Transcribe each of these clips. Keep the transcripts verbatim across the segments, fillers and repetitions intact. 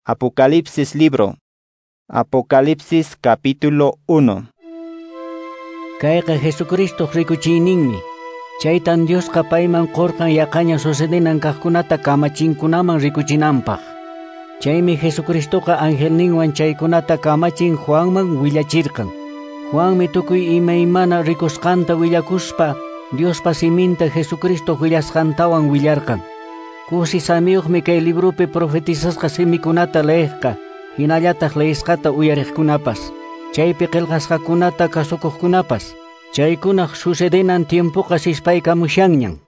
Apocalipsis libro. Apocalipsis capítulo uno. Kayqa Jesucristo rikuchiyninmi. Chaytan Diosqa payman qurqan yaqaña sucedinan kaqkunata kamachinkunaman rikuchinanpaq. Chaymi Jesucristoqa angelninwan chaykunata kamachin Juanman willachirqan. Juanmi tukuy imaymana rikusqanta willakuspa Diospa siminta Jesucristo willasqantawan willarqan. Kusi samiyuqmi kay librupi profetizasqa simikunata leeqqa, hinallataq leesqata uyariqkunapas, chaypi qillqasqakunata kasukuqkunapas. Chaykunaq sucedenan tiempoqa sispaykamushanñan.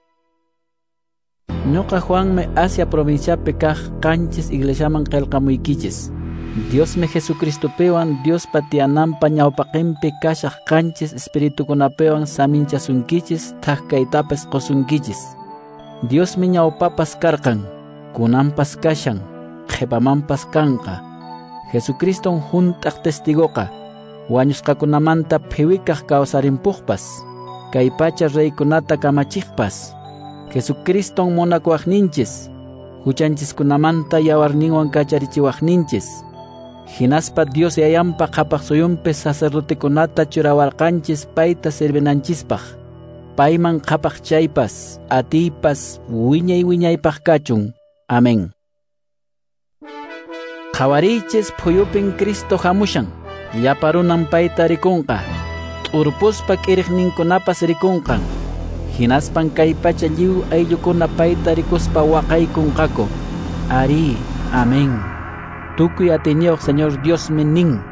Ñuqa Juanmi Asia provinciapi kaq qanchis iglesiaman qillqamuykichis. Diosmi Jesucristopiwan Diospa tiyananpa ñawpaqinpi kashaq qanchis espiritukunapiwan saminchasunkichis thak kaytapas qusunkichis. Diosmi ñawpapas karqan, kunanpas kashan, qhipamanpas kanqa. Jesucriston hunt'aq testigoqa, wañusqakunamanta phiwikaq kawsarimpuqpas, kay pacha reykunata kamachiqpas. Jesucriston munakuwaqninchis, huchanchiskunamanta yawarninwan kacharichiwaqninchis. Hinaspa Dios Yayanpa qhapaq suyunpi sacerdotekunata churawarqanchis payta servinanchispaq. Payman qhapaq chaypas, atiypas, wiñay wiñaypaq kachun. Amén. Qhawariychis phuyupin Cristo hamushan, llapa runan payta rikunqa, t'urpuspa k'iriqninkunapas rikunqan. Hinaspan kay pacha lliw ayllukuna payta rikuspa waqaykunqaku. Ari, amén. Tukuy atiyniyuq Señor Diosmi nin: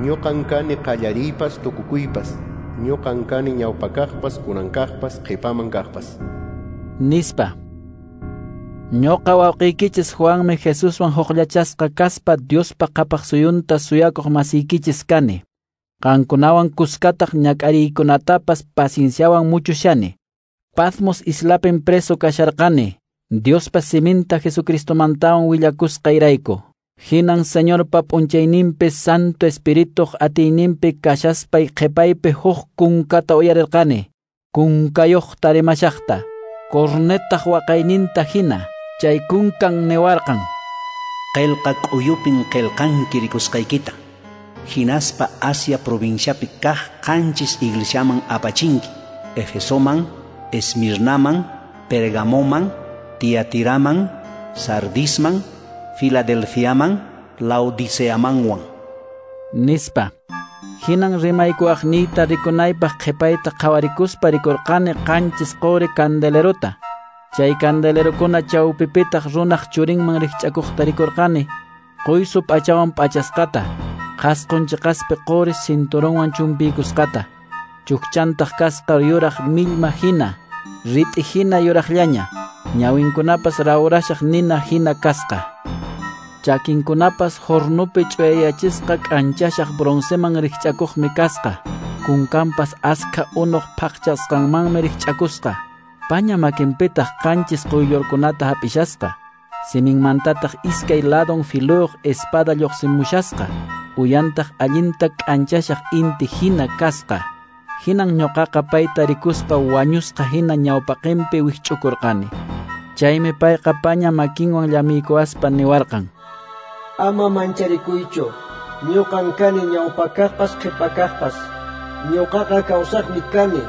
Ñuqan kani qallariypas tukukuypas, ñuqan kani ñawpakaqpas kunankaqpas qhipaman kaqpas. Nispa. Ñuqa wawqiykichis Juanmi Jesuswan hukllachasqa kaspa Diospa qhapaq suyunta suyakuq masiykichis kani. Qankunawan kuskataq ñak'ariykunatapas pacienciawan muchushani. Patmos islapin preso kasharqani, Diospa siminta Jesucristomantawan willakusqayrayku. Hinan Señorpa p'unchayninpi Santo Espirituq atiyninpi kashaspay qhipaypi huk kunkata uyarirqani, kunkayuqta rimashaqta, cornetaq waqayninta hina. Chay kunkan niwarqan: Qillqa k'uyupin qillqanki rikusqaykita, hinaspa Asia provinciapi kaq qanchis iglesiaman apachinki: Efesoman, Esmirnaman, Pergamoman, Tiatiraman, Sardisman, Filadelfiaman, Laodiceamanwan. Nispa. Hinan rimaykuwaqniyta rikunaypaq qhipayta qhawarikuspa rikurqani qanchis quri candelerota. Chay candelerokuna chawpipitaq runaq churinman rikch'akuqta rikurqani, quysu p'achawan p'achasqata, qhasqun chiqaspi quri cinturonwan chumpiykusqata, chukchantaq kasqa yuraq millma hina, rit'i hina yuraqllaña, ñawinkunapas rawrashaq nina hina kasqa. Chakinkunapas hornupi ch'uyayachisqa k'anchashaq bronceman rikch'akuqmi kasqa, kunkanpas askha unuq phaqchasqanmanmi rikch'akusqa. Paña makinpitaq qanchis quyllurkunata hap'ishasqa, siminmantataq iskay ladon filuyuq espada lluqsimushasqa, uyantaq allinta k'anchashaq inti hina kasqa. Hinan ñuqaqa payta rikuspa wañusqa hina ñawpaqinpi wikch'ukurqani. Chaymi payqa paña makinwan llamiykuwaspa niwarqan: Ama mancharikuychu, ñuqan kani ñawpakaqpas qhipakaqpas. Ñuqaqa kawsaqmi kani,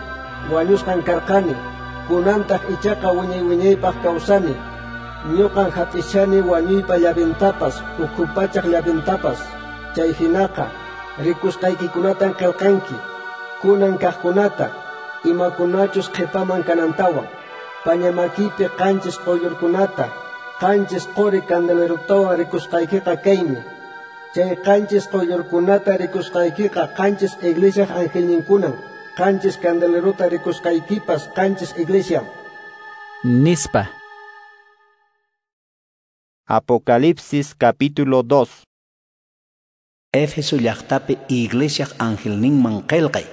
wañusqan karqani, kunantaq ichaqa wiñay wiñaypaq kawsani. Ñuqan hap'ishani wañuypa llavintapas, ukhu pachaq llavintapas. Chay hinaqa rikusqaykikunatan qillqanki, kunan kaqkunata, imakunachus qhipaman kanantawan. Paña makipi qanchis quyllurkunata, qanchis quri candelerotawan rikusqaykiqa kaymi. Chay qanchis quyllurkunata rikusqaykiqa qanchis iglesiaq angelninkunan, qanchis candelerota rikusqaykipas qanchis iglesiam. Nispa. Apocalipsis capítulo dos. Éfeso llaqtapi iglesiaq angelninman qillqay,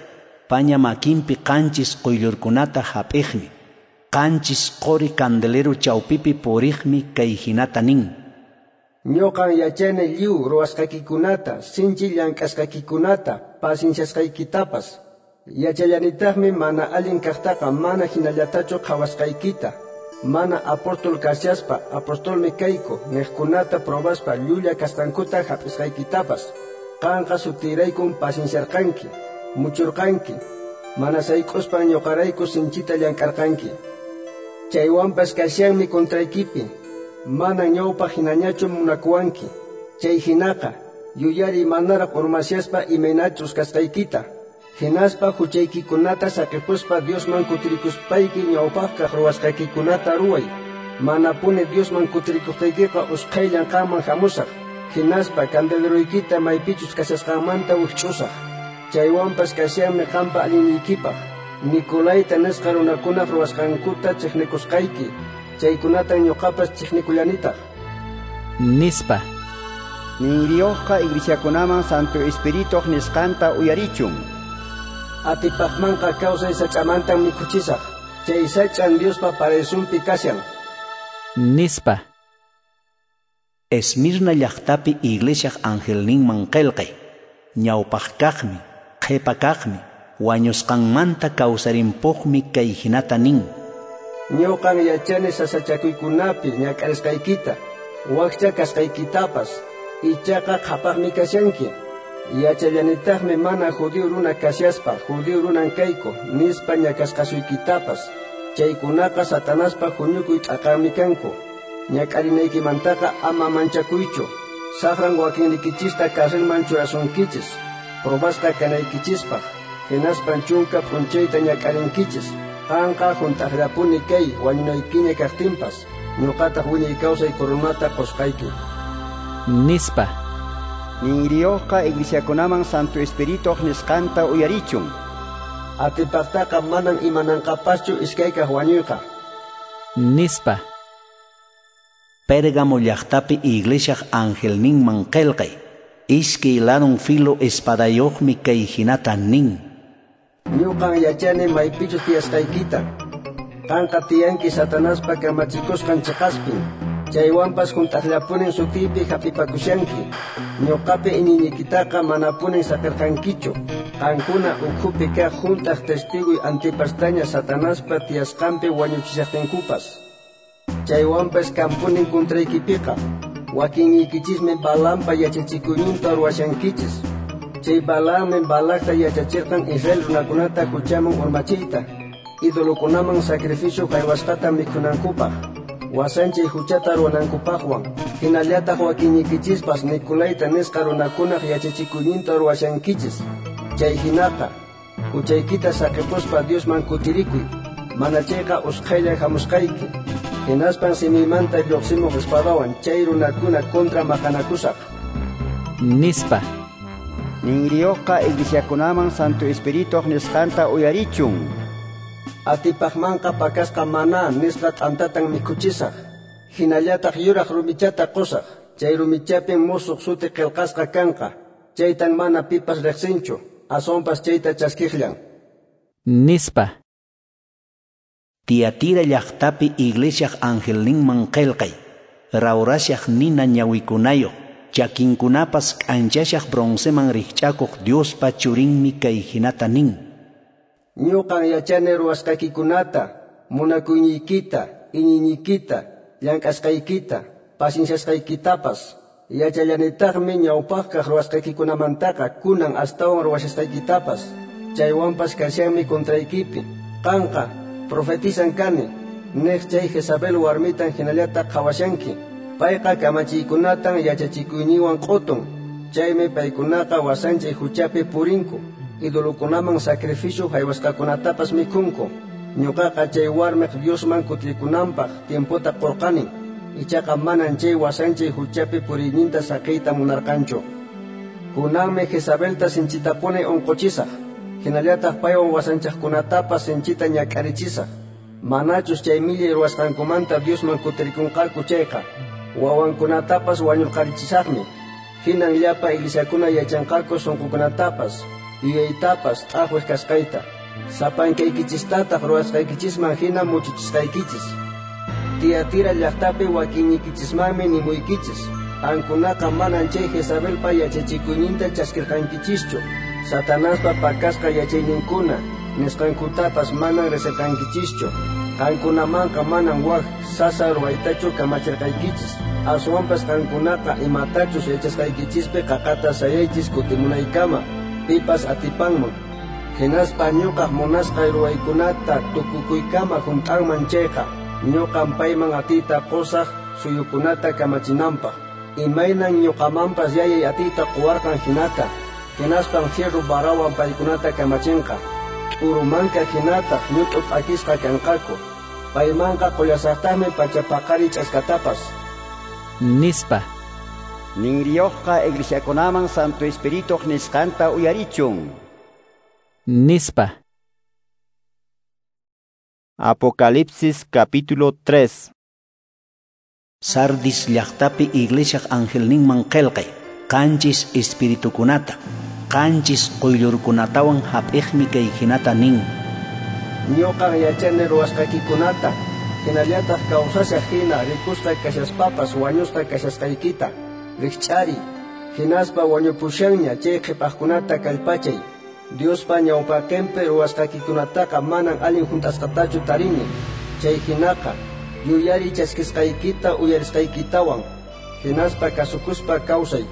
paña makinpi qanchis quyllurkunata hap'iqmi, qanchis quri candelero chawpipi puriqmi kay hinata nin: Ñuqan yachani lliw ruwasqaykikunata, sinchi llank'asqaykikunata, pacienciasqaykitapas. Yachallanitaqmi mana allin kaqtaqa mana hinallatachu qhawasqaykita. Mana apóstol kashaspa apostolmi kayku niqkunata probaspa llulla kasqankuta hap'isqaykitapas. Qanqa sutiraykun pacienciarqanki, muchurqanki, mana sayk'uspan ñuqarayku sinchita llank'arqanki. Chaywanpas kashanmi contraykipi, mana ñawpaq hinañachu munakuwanki. Chay hinaqa, yuyari manaraq urmashaspa imaynachus kasqaykita. Hinaspa huchaykikunata saqipuspa Diosman kutirikuspayki ñawpaqkaq ruwasqaykikunata ruway. Manapuni Diosman kutirikuqtaykiqa usqhayllan qanman hamusaq. Hinaspa candeleroykita maypichus kashasqanmanta wikch'usaq. Chaywanpas kashanmi qanpa allinniykipaq. Nicolaita nisqa runakunaq ruwasqankuta chiqnikusqayki. Chaykunatan ñuqapas chiqnikullanitaq. Nispa. Ninriyuqqa iglesiakunaman Santo Espirituq nisqanta uyarichun. Atipaqmanqa kawsay sach'amantan mikhuchisaq. Chay sach'an Diospa paraisonpi kashan. Nispa. Esmirna llaqtapi iglesiaq angelninman qillqay. Ñawpaq kaqmi, qhipa kaqmi, wañusqanmanta kawsarimpuqmi kay hinata nin. Ñuqan yachani sasachakuykunapi ñak'arisqaykita, wakcha kasqaykitapas, ichaqa qhapaqmi kashanki. Yachallanitaqmi mana judío runa kashaspa, judío runan kayku, nispa ñakasqasuykitapas. Chaykunaqa Satanaspa huñukuy t'aqanmi kanku. Ñak'arinaykimantaqa ama manchakuychu. Saqran wakinnikichista carcelman churasunkichis, probasqa kanaykichispaq, hinaspan chunka p'unchayta ñak'arinkichis. Qanqa hunt'aqllapuni kay wañunaykiña kaqtinpas, ñuqataq wiñay kawsay coronata qusqayki. Nispa. Ninriyuqqa iglesiakunaman Santo Espirituq nisqanta uyarichun. Atipaqtaqa manan imananqapaschu iskaykaq wañuyqa. Nispa. Pérgamo llaqtapi iglesiaq angelninman qillqay. Iskay ladun filo espadayuqmi kay hinata nin. Ñuqan yachani maypichus tiyasqaykita. Qanqa tiyanki Satanaspa kamachikusqan chiqaspin. Chaywanpas hunt'aqllapunin sutiypi hap'ipakushanki. Ñuqapi iñiyniykitaqa manapunin saqirqankichu. Qankuna ukhupi kaq hunt'aq testiguy Antipastaña Satanaspa tiyasqanpi wañuchishaqtinkupas. Chaywanpas kampunin contraykipiqa. Wakinniykichismi Balaampa yachachikuyninta ruwashankichis. Chay Balaammi Balacta yachachirqan Israel runakunata huchaman urmachiyta, idolokunaman sacrificio haywasqata mikhunankupaq, wasanchay huchata ruwanankupaqwan. Hinallataq wakinniykichispas Nicolaita nisqa runakunaq yachachikuyninta ruwashankichis. Chay hinaqa, huchaykita saqipuspa Diosman kutirikuy, mana chayqa usqhaylla hamusqayki. Hinaspan simiymanta lluqsimuq espadawan chay runakuna contra maqanakusaq. Nispa. Ninriyuqqa iglesiakunaman Santo Espirituq nisqanta uyarichun. Atipaqmanqa pakasqa maná nisqa t'antatan mikhuchisaq. Hinallataq yuraq rumichata qusaq. Chay rumichapin musuq suti qillqasqa kanqa. Chaytan mana pipas riqsinchu, aswanpas chayta chaskiqllan. Nispa. Tiatira llaqtapi iglesiaq angelninman qillqay. Rawrashaq nina ñawikunayuq, chakinkunapas k'anchashaq bronceman rikch'akuq Diospa churinmi kay hinata nin. Ñuqan yachani ruwasqaykikunata, munakuyniykita, iñiyniykita, llank'asqaykita, pacienciasqaykitapas. Yachallanitaqmi ñawpaqkaq ruwasqaykikunamantaqa kunan astawan ruwashasqaykitapas. Chaywanpas kashanmi contraykipi. Qanqa profetizan kani, niq chay Jezabel warmitan hinallata qhawashanki. Payqa kamachiykunatan yachachikuyninwan q'utun. Chaymi paykunaqa wasanchay huchapi purinku, idolokunaman sacrificio haywasqakunatapas mikhunku. Ñuqaqa chay warmiq Diosman kutirikunanpaq tiempota qurqani. Ichaqa manan chay wasanchay huchapi puriyninta saqiyta munarqanchu. Kunanmi Jezabelta sinchitapuni unquchisaq. Hinallataq paywan wasanchaqkunatapas sinchita ñak'arichisaq. Manachus chay millay ruwasqankumanta Diosman kutirikunqaku chayqa, wawankunatapas wañurqarichisaqmi. Hinan llapa iglesiakuna yachanqaku sunqukunatapas, yuyaytapas t'aqwiq kasqayta. Sapankaykichistataq ruwasqaykichisman hina muchuchisqaykichis. Tiatira llaqtapi wakinniykichismanmi nimuykichis. Qankunaqa manan chay Jezabelpa yachachikuyninta chaskirqankichischu. Satanaspa pakasqa yachayninkuna nisqankutapas manan riqsirqankichischu. Qankunamanqa manan wak sasa ruwaytachu kamachirqaykichis. Aswanpas qankunaqa imatachus yachasqaykichispi qaqata sayaychis kutimunaykama, pipas atipanman. Hinaspa ñuqaq munasqay ruwaykunata tukukuykama hunt'anman chayqa, ñuqan payman atiyta qusaq suyukunata kamachinanpaq. Imaynan ñuqamanpas yayay atiyta quwarqan hinata, hinaspan fierro varawan paykunata kamachinqa. T'urumanka hinataq ñut'u p'akisqa kanqaku. Paymanqa qullasaqtaqmi pachapaqari ch'askatapas. Nispa. Ninriyuqqa iglesiakunaman Santo Espirituq nisqanta uyarichun. Nispa. Apocalipsis capítulo tres. Sardis llaqtapi iglesiaq angelninman qillqay, qanchis espiritukunata, qanchis quyllurkunatawan hap'iqmi kay hinata nin. Ñuqan yachani ruwasqaykikunata, hinallataq kawsashaq hina rikusqa kashaspapas wañusqa kashasqaykita, rikch'ari, hinaspa wañupushanña chay qhipaqkunata kallpachay. Diospa ñawpaqinpi ruwasqaykikunataqa manan allin hunt'asqatachu tarini. Chay hinaqa yuyari chaskisqaykita uyarisqaykitawan, hinaspa kasukuspa kawsay.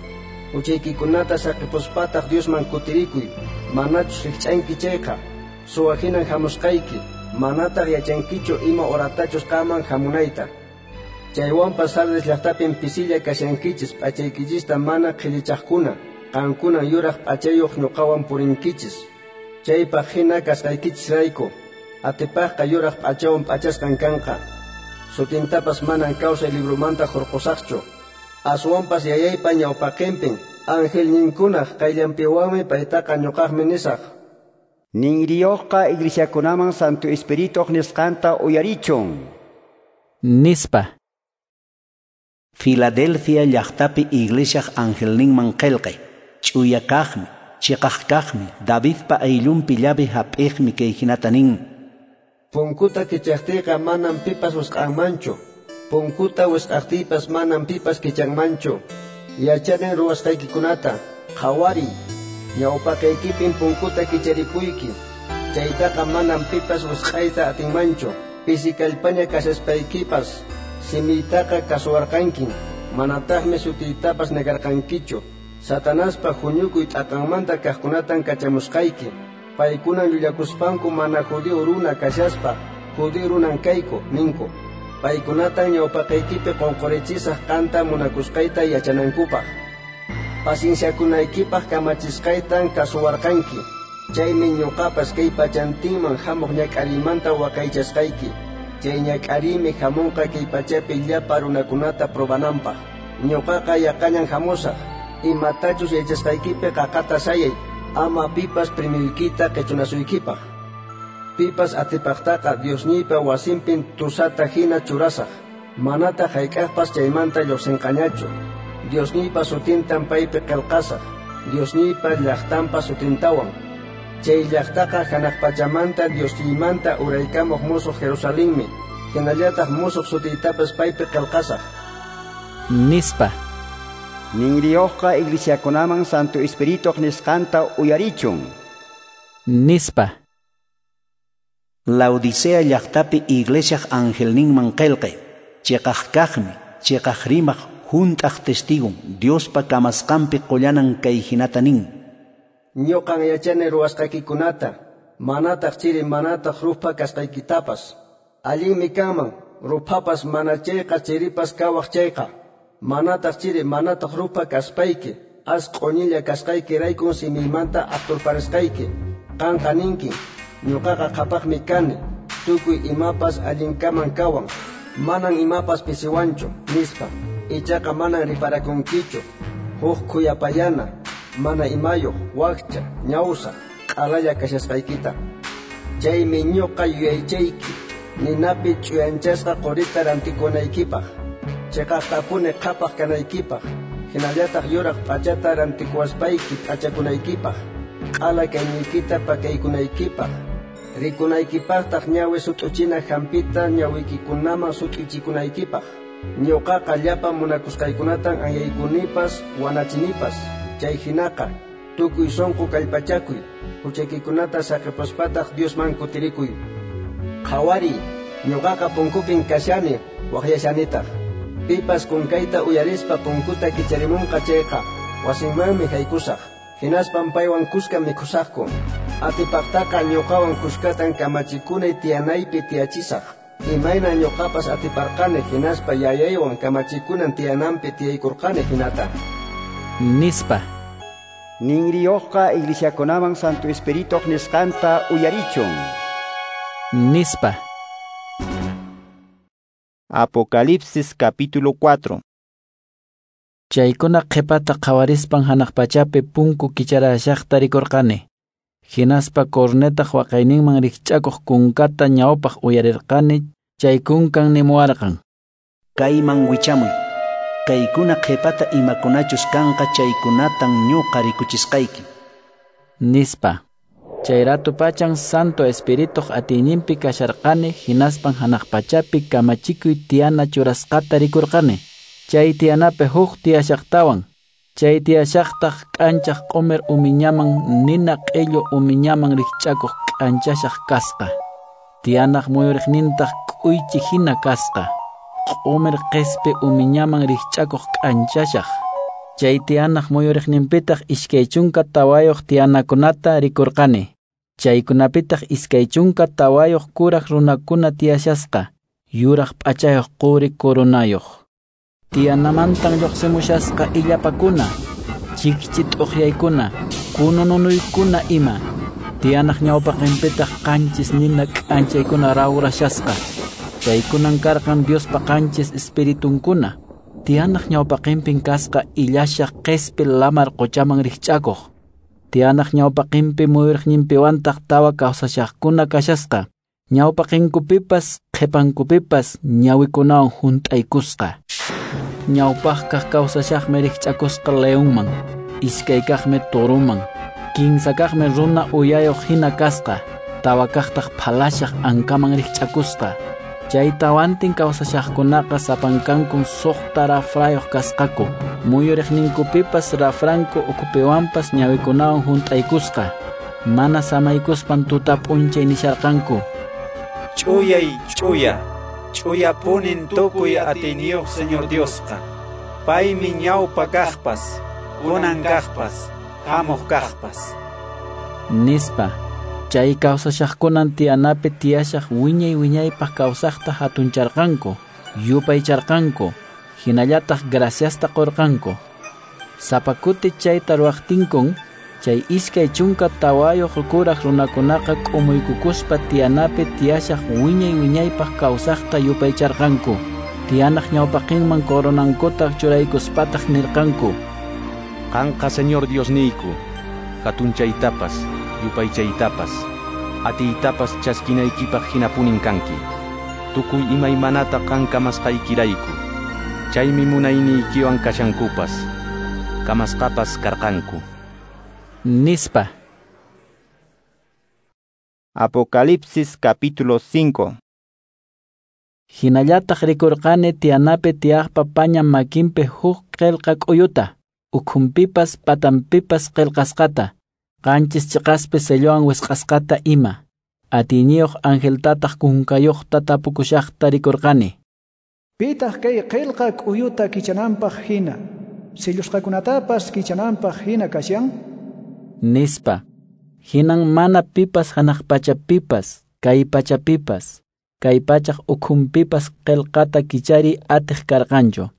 Huchaykikunata saqipuspataq Diosman kutirikuy. Manachus rikch'anki chayqa, suwa hinan hamusqayki, manataq yachankichu ima horatachus qaman hamunayta. Chaywanpas Sardis llaqtapin pisilla kashankichis p'achaykichista mana qhillichaqkuna, qankunan yuraq p'achayuq ñuqawan purinkichis. Chaypaq hina kasqaykichisrayku, atipaqqa yuraq p'achawan p'achasqan kanqa. Sutintapas manan kawsay libromanta hurqusaqchu. Aswanpas yayaypa ñawpaqinpin angelninkunaq qayllanpiwanmi paytaqa ñuqaqmi nisaq. Ninriyuqqa iglesiakunaman Santo Espirituq nisqanta uyarichun. Nispa. Filadelfia llaqtapi iglesiaq angelninman qillqay, ch'uya kaqmi, chiqaq kaqmi, Davidpa ayllunpi llave hap'iqmi kay hinata nin. Punkuta kichaqtiyqa manan pipas wisq'anmanchu. Punkuta wisq'aqtiypas manan pipas kichanmanchu. Yachanin ruwasqaykikunata, qhawariy. Ñawpaqaykipin punkuta kicharipuyki. Chaytaqa manan pipas wisq'ayta atinmanchu. Pisi kallpaña kashaspaykipas simiytaqa kasuwarqankin. Manataqmi sutiytapas negarqankichu. Satanaspa huñukuy t'aqanmanta kaqkunatan kachamusqayki. Paykunan llullakuspanku mana judío runa kashaspa, judío runan kayku, ninku. Paykunatan ñawpaqaykipi qunqurichisaq qanta munakusqayta yachanankupaq. Pacienciakunaykipaq kamachisqaytan kasuwarqanki. Chaymi ñuqapas kay pachantinman hamuq ñak'ariymanta waqaychasqayki. Chay ñak'ariymi hamunqa kay pachapi llapa runakunata probananpaq. Ñuqaqa yaqañan hamusaq. Imatachus yachasqaykipi qaqata sayay, ama pipas primiykita qichunasuykipaq. Pipas atipaqtaqa Diosniypa wasinpin tusata hina churasaq. Manataq hayk'aqpas chaymanta lluqsinqañachu. Diosniypa sutintan paypi qillqasaq, Diosniypa llaqtanpa sutintawan. Chay llaqtaqa hanaq pachamanta Diosniymanta uraykamuq musuq Jerusalenmi, hinallataq musuq sutiytapas paypi qillqasaq. Nispa. Ninriyuqqa iglesiakunaman Santo Espirituq nisqanta uyarichun. Nispa. Laodicea llaqtapi iglesiaq angelninman qillqay, chiqaq kaqmi, chiqaq rimaq, hunt'aq testigun, Diospa kamasqanpi qullanan kay hinata nin. Ñuqan yachani ruwasqaykikunata, manataq chiri manataq rupha kasqaykitapas. Allinmi kanman, ruphapas mana chayqa chiripas kawaq chayqa. Manataq chiri manataq rupha kaspayki, as q'uñilla kasqaykiraykun simiymanta aqturparisqayki. Qanqa ninki, ñuqaqa qhapaqmi kani, tukuy imapas allinkaman kawan, manan imapas pisiwanchu, nispa. Ichaqa manan riparakunkichu, huk khuyapayana, mana imayuq, wakcha, ñawsa, q'alalla kashasqaykita. Chaymi ñuqa yuyaychayki, ninapi ch'uyanchasqa qurita rantikunaykipaq, chiqaqtapuni qhapaq kanaykipaq, hinallataq yuraq p'achata rantikuwaspayki p'achakunaykipaq, q'ala kayniykita pakaykunaykipaq, rikunaykipaqtaq ñawi sut'uchina hampita ñawiykikunaman sut'ichikunaykipaq. Ñuqaqa llapa munakusqaykunatan anyaykunipas wanachinipas. Chay hinaqa tukuy sunqu kallpachakuy, huchaykikunata saqipuspataq Diosman kutirikuy. Qhawariy, Ñuqaqa punkupin kashani, waqyashanitaq. Pipas kunkayta uyarispa punkuta kicharimunqa chayqa, wasinmanmi haykusaq. Hinaspan paywan kuska mikhusaqku. Atipaqtaqa ñuqawan kuskatan kamachikunay tiyanaypi tiyachisaq. Imayna ñuqapas atiparqani hinaspa yayaywan kamachikunan tiyananpi tiyaykurqani hinata. Nispa. Ninriyuqqa iglesiakunaman Santo Espirituq nisqanta uyarichun. Nispa. Apocalipsis capítulo cuatro. Chaykuna qhipata qhawarispan hanaq pachapi punku kicharashaqta rikurqani. Hinaspa cornetaq waqayninman rikch'akuq kunkata ñawpaq uyarirqani, chay kunkan nimuwarqan: Kayman wichamuy. Kaykuna qhipata imakunachus kanqa chaykunatan ñuqa rikuchisqayki. Nispa. Chay ratu pachan Santo Espirituq atiyninpi kasharqani, hinaspan hanaq pachapi kamachikuy tiyana churasqata rikurqani. Chay tiyanapi huk tiyashaqtawan. Chay tiyashaqtaq k'anchaq q'umir umiñaman nina q'illu umiñaman rikch'akuq k'anchashaq kasqa. Tiyanaq muyuriqnintaq k'uychi hina kasqa. Q'umir qispi umiñaman rikch'akuq k'anchashaq. Chay tiyanaq muyuriqninpitaq iskay chunka tawayuq tiyanakunata rikurqani. Chaykunapitaq iskay chunka tawayuq kuraq runakuna tiyashasqa, yuraq p'achayuq quri coronayuq. Tiyanamantan lluqsimushasqa illapakuna, chikchi t'uqyaykuna, kunununuykuna ima. Tiyanaq ñawpaqinpitaq qanchis nina k'anchaykuna rawrashasqa. Chaykunan karqan Diospa qanchis espiritunkuna. Tiyanaq ñawpaqinpin kasqa illashaq qispi lamar quchaman rikch'akuq. Tiyanaq ñawpaqinpi muyuriqninpiwantaq tawa kawsashaqkuna kashasqa. Ñawpaqinkupipas qhipankupipas ñawikunawan hunt'aykusqa. Ñawpaqkaq kawsashaqmi rikch'akusqa leonman, iskaykaqmi toruman, kinsakaqmi runa uyayuq hina kasqa, tawakaqtaq phalashaq ankaman rikch'akusqa. Chay tawantin kawsashaqkunaqa sapankankun suqta rafrayuq kasqaku, muyuriqninkupipas rafranku ukhupiwanpas ñawikunawan hunt'aykusqa. Mana samaykuspan tuta p'unchay nisharqanku: Ch'uyay, ch'uya, ch'uyapunin tukuy atiyniyuq Señor Diosqa. Paymi ñawpa kaqpas, kunan kaqpas, hamuq kaqpas. Nispa. Chay kawsashaqkunan tiyanapi tiyashaq wiñay wiñaypaq kawsaqta hatuncharqanku, yupaycharqanku, hinallataq graciasta qurqanku. Sapa kuti chayta ruwaqtinkun, chay iskay chunka tawayuq kuraq runakunaqa k'umuykukuspa tiyanapi tiyashaq wiñay wiñaypaq kawsaqta yupaycharqanku. Tiyanaq ñawpaqinman coronankuta churaykuspataq nirqanku: Qanqa Señor Diosniyku, hatunchaytapas, yupaychaytapas, atiytapas chaskinaykipaq hinapunin kanki. Tukuy imaymanata qan kamasqaykirayku. Chaymi munayniykiwan kashankupas, kamasqapas karqanku. Nispa. Apocalipsis capítulo cinco. Hinallataq rikurqani tiyanapi tiyaqpa paña makinpi huk qillqa k'uyuta, ukhunpipas patanpipas qillqasqata, qanchis chiqaspi sellowan wisq'asqata ima. Atiyniyuq angeltataq kunkayuqta tapukushaqta rikurqani: Pitaq kay qillqa k'uyuta kichananpaq hina, sellusqakunatapas kichananpaq hina kashan? Nispa. Hinan mana pipas hanaq pachapipas, kay pachapipas, kay pachaq ukhunpipas qillqata kichari atiq karqanchu.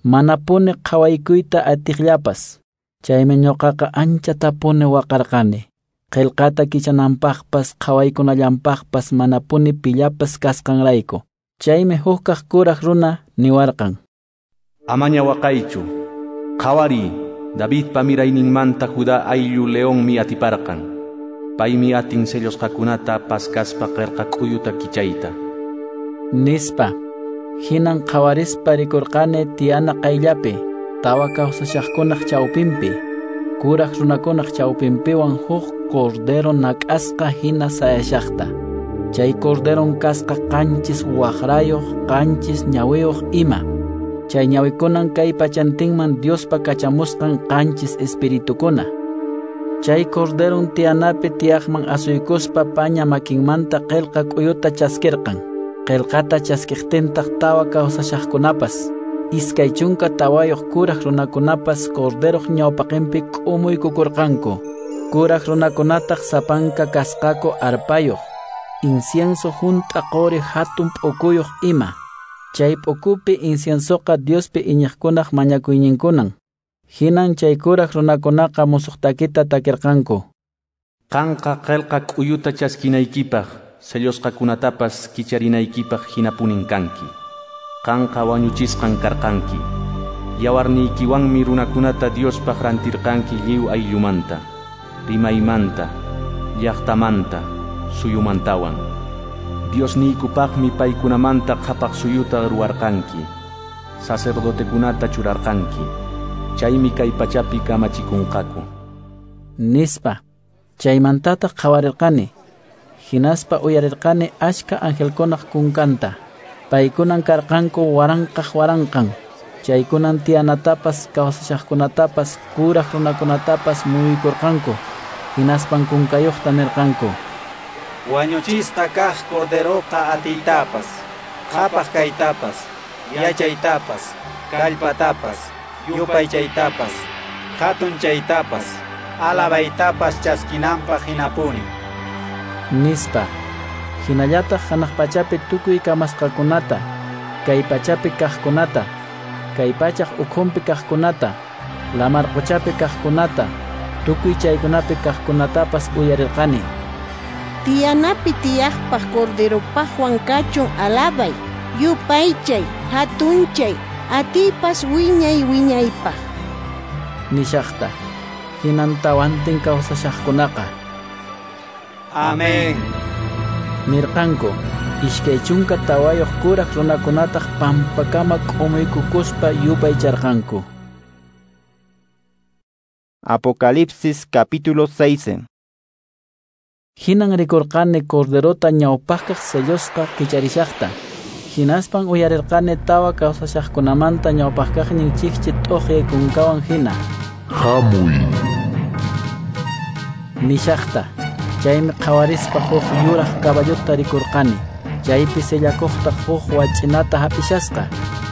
Manapuni qhawaykuyta atiqllapas. Chaymi ñuqaqa anchatapuni waqarqani. Qillqata kichananpaqpas qhawaykunallanpaqpas manapuni pillapas kasqanrayku. Chaymi hukkaq kuraq runa niwarqan: Amaña waqaychu. Qhawariy, Davidpa mirayninmanta Judá ayllu leonmi atiparqan. Paymi atin sellusqakunata paskaspa qillqa k'uyuta kichayta. Nispa. Hinan qhawarispa rikurqani tiyana qayllapi, tawa kawsashaqkunaq chawpinpi, kuraq runakunaq chawpinpiwan huk cordero nak'asqa hina sayashaqta. Chay corderon kasqa qanchis waqrayuq, qanchis ñawiyuq ima. Chay ñawikunan kay pachantinman Diospa kachamusqan qanchis espiritukuna. Chay corderon tiyanapi tiyaqman asuykuspa paña makinmanta qillqa k'uyuta chaskirqan. Qillqata chaskiqtintaq tawa kawsashaqkunapas, iskay chunka tawayuq kuraq runakunapas Corderoq ñawpaqinpi k'umuykukurqanku. Kuraq runakunataq sapanka kasqaku arpayuq, incienso hunt'a quri hatun p'ukuyuq ima. Chay p'ukupi inciensoqa Diospi iñiqkunaq mañakuyninkunan. Hinan chay kuraq runakunaqa musuq takita takirqanku. Qanqa qillqa k'uyuta chaskinaykipaq, sellosqakunatapas kicharinaykipaq hinapunin kanki. Qanqa wañuchisqan karqanki. Yawarniykiwanmi runakunata Diospaq rantirqanki lliw ayllumanta, rimaymanta, llaqtamanta, suyumantawan. Diosniykupaqmi paykunamanta qhapaq suyuta ruwarqanki, sacerdotekunata churarqanki. Chaymi kay pachapi kamachikunqaku. Nispa. Chaymantataq qhawarirqani. Hinaspa uyarirqani achka angelkunaq kunkanta. Paykunan karqanku waranqaq waranqan. Chaykunan tiyanatapas, kawsashaqkunatapas, kuraq runakunatapas muyuykurqanku. Hinaspan kunkayuqta nirqanku: Wañuchisqa kaq Corderoqa atiytapas, qhapaq kaytapas, yachaytapas, kallpatapas, yupaychaytapas, hatunchaytapas, alabaytapas chaskinanpaq hinapuni. Nispa. Hinallataq hanaq pachapi tukuy kamasqakunata, kay pachapi kaqkunata, kay pachaq ukhunpi kaqkunata, lamar quchapi kaqkunata, tukuy chaykunapi kaqkunatapas uyarirqani. Tiyanapi tiyaqpaq Corderopaqwan kachun alabay, yupaychay, hatunchay, atiypas wiñay wiñaypaq. Nishaqta. Hinan tawantin kawsashaqkunaqa Amén nirqanku. Iskay chunka tawayuq kuraq runakunataq pampakama k'umuykukuspa yupaycharqanku. Apocalipsis capítulo seis. Hinan rikurqani Corderota ñawpaqkaq sellosqa kicharishaqta. Hinaspan uyarirqani tawa kawsashaqkunamanta ñawpaqkaqnin chikchi t'uqyay kunkawan hina. Hamuy. Nishaqta. Chaymi qhawarispa huk yuraq caballota rikurqani. Chaypi sellakuqtaq huk wach'inata hap'ishasqa.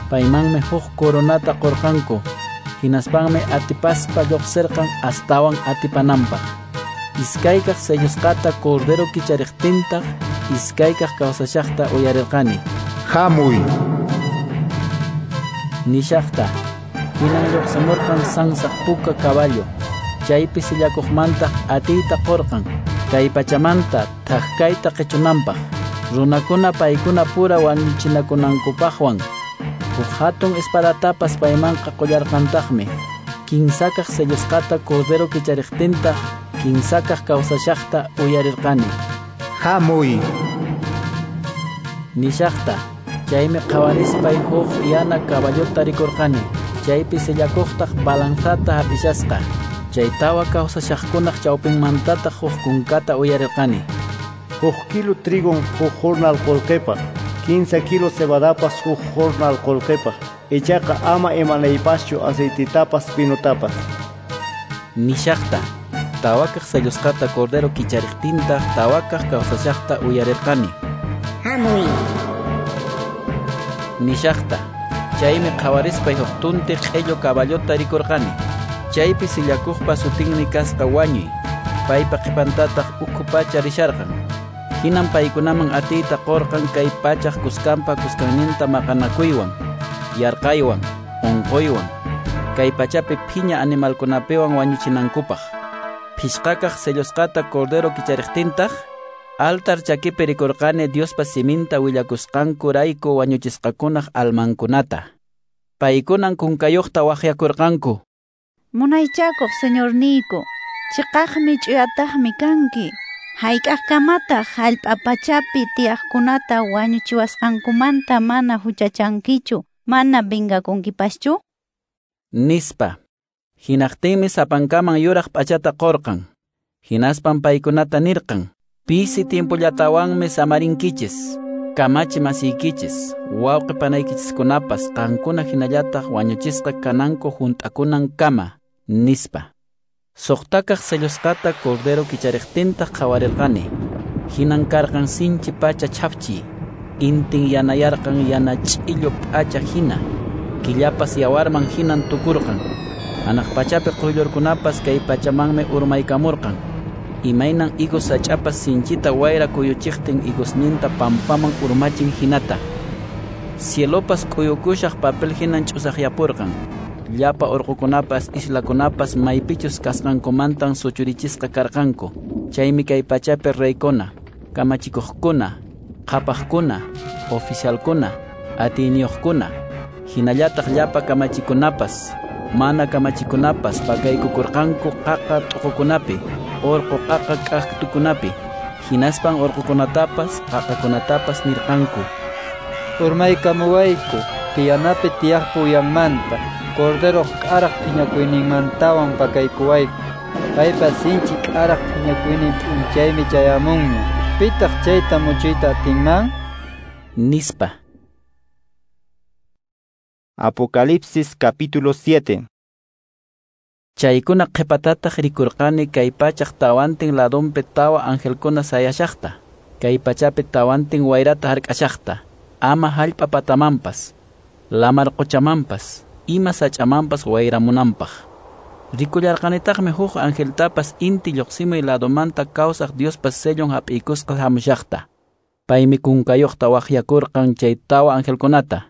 Paymanmi huk coronata qurqanku. Hinaspanmi atipaspa lluqsirqan astawan atipananpaq. Iskaykaq sellosqata Cordero kichariqtintaq iskaykaq kawsashaqta uyarirqani. Hamuy. Nishaqta. Hinan lluqsimurqan sansaq puka caballo. Chaypi sillakuqmantaq atiyta qurqan kay pachamanta thak kayta qichunanpaq, runakuna paykuna pura wañuchinakunankupaqwan. Huk hatun espadatapas paymanqa qullarqantaqmi. Kinsakaq sellosqata Cordero kichariqtintaq kinsakaq kawsashaqta uyarirqani. Hamuy. Nishaqta. Chaymi qhawarispay huk yana caballota rikurqani. Chaypi sellakuqtaq balanzata hap'ishasqa. Chay tawa kawsashaqkunaq chawpinmantataq huk kunkata uyarirqani. Huk kilo trigon huk jornal qullqipaq, kinsa kilo cebadapas huk jornal qullqipaq. Ichaqa ama imanaypaschu aceititapas vinutapas. Nishaqta. Tawakaq sellosqata Cordero kichariqtintaq tawakaq kawsashaqta uyarirqani. Hamuy. Nishaqta. Chaymi qhawarispay huk tunti q'illu caballota rikurqani. Chaypi sillakuqpa sutinmi kasqa wañuy. Paypa qhipantataq ukhu pacha risharqan. Hinan paykunaman atiyta qurqan kay pachaq kuskanpa kuskanninta maqanakuywan, yarqaywan, unquywan, kay pachapi phiña animalkunapiwan wañuchinankupaq. Phishqakaq sellosqata Cordero kichariqtintaq altar chakipi rikurqani Diospa siminta willakusqankurayku wañuchisqakunaq almankunata. Paykunan kunkayuqta waqyakurqanku. Munaychakuq Señorniyku, chiqaqmi ch'uyataqmi kanki. Hayk'aqkamataq hallp'a pachapi tiyaqkunata wañuchiwasqankumanta mana huchachankichu, mana vengakunkipaschu? Nispa. Hinaqtinmi sapankaman yuraq p'achata qurqan. Hinaspan paykunata nirqan: Pisi tiempollatawanmi samarinkichis, kamachi masiykichis, wawqi panaykichiskunapas qankuna hinallataq wañuchisqa kananku hunt'akunankama, nispa. Suqtakaq sellosqata Cordero kichariqtintaq qhawarirqani. Hinan karqan sinchi pacha chhapchiy. Intin yanayarqan yana ch'illu p'acha hina, killapas yawarman hinan tukurqan. Hanaq pachapi quyllurkunapas kay pachamanmi urmaykamurqan. Imaynan higos sach'apas sinchita wayra kuyuchiqtin higosninta pampaman urmachin hinata. Cielopas k'uyukushaq papel hinan ch'usaqyapurqan. Llapa urqukunapas islakunapas maypichus kasqankumantan suchurichisqa karqanku. Chaymi kay pachapi reykuna, kamachikuqkuna, qhapaqkuna, oficialkuna, atiyniyuqkuna, hinallataq llapa kamachikunapas, mana kamachikunapas pakaykukurqanku qaqa t'uqukunapi, urqu qaqa k'aktukunapi, hinaspan urqukunatapas qaqakunatapas nirqanku: Urmaykamuwayku, tiyanapi tiyaqpa uyanmanta, Corderoq k'araq phiñakuyninmantawan pakaykuwayku. Paypa sinchi k'araq phiñakuynin p'unchaymi chayamunña. Pitaq chayta muchuyta atinman? Nispa. Apocalipsis capítulo siete. Chaykuna qhipatataq rikurqani kay pachaq tawantin ladunpi tawa angelkuna sayashaqta, kay pachapi tawantin wayrata hark'ashaqta, ama hallp'a patamanpas, lamar quchamanpas, ima sach'amanpas wayramunanpaq. Rikullarqanitaqmi huk angeltapas inti lluqsimuy ladumanta kawsaq Diospa sellon hap'iykusqa hamushaqta. Paymi kunkayuqta waqyakurqan chay tawa angelkunata.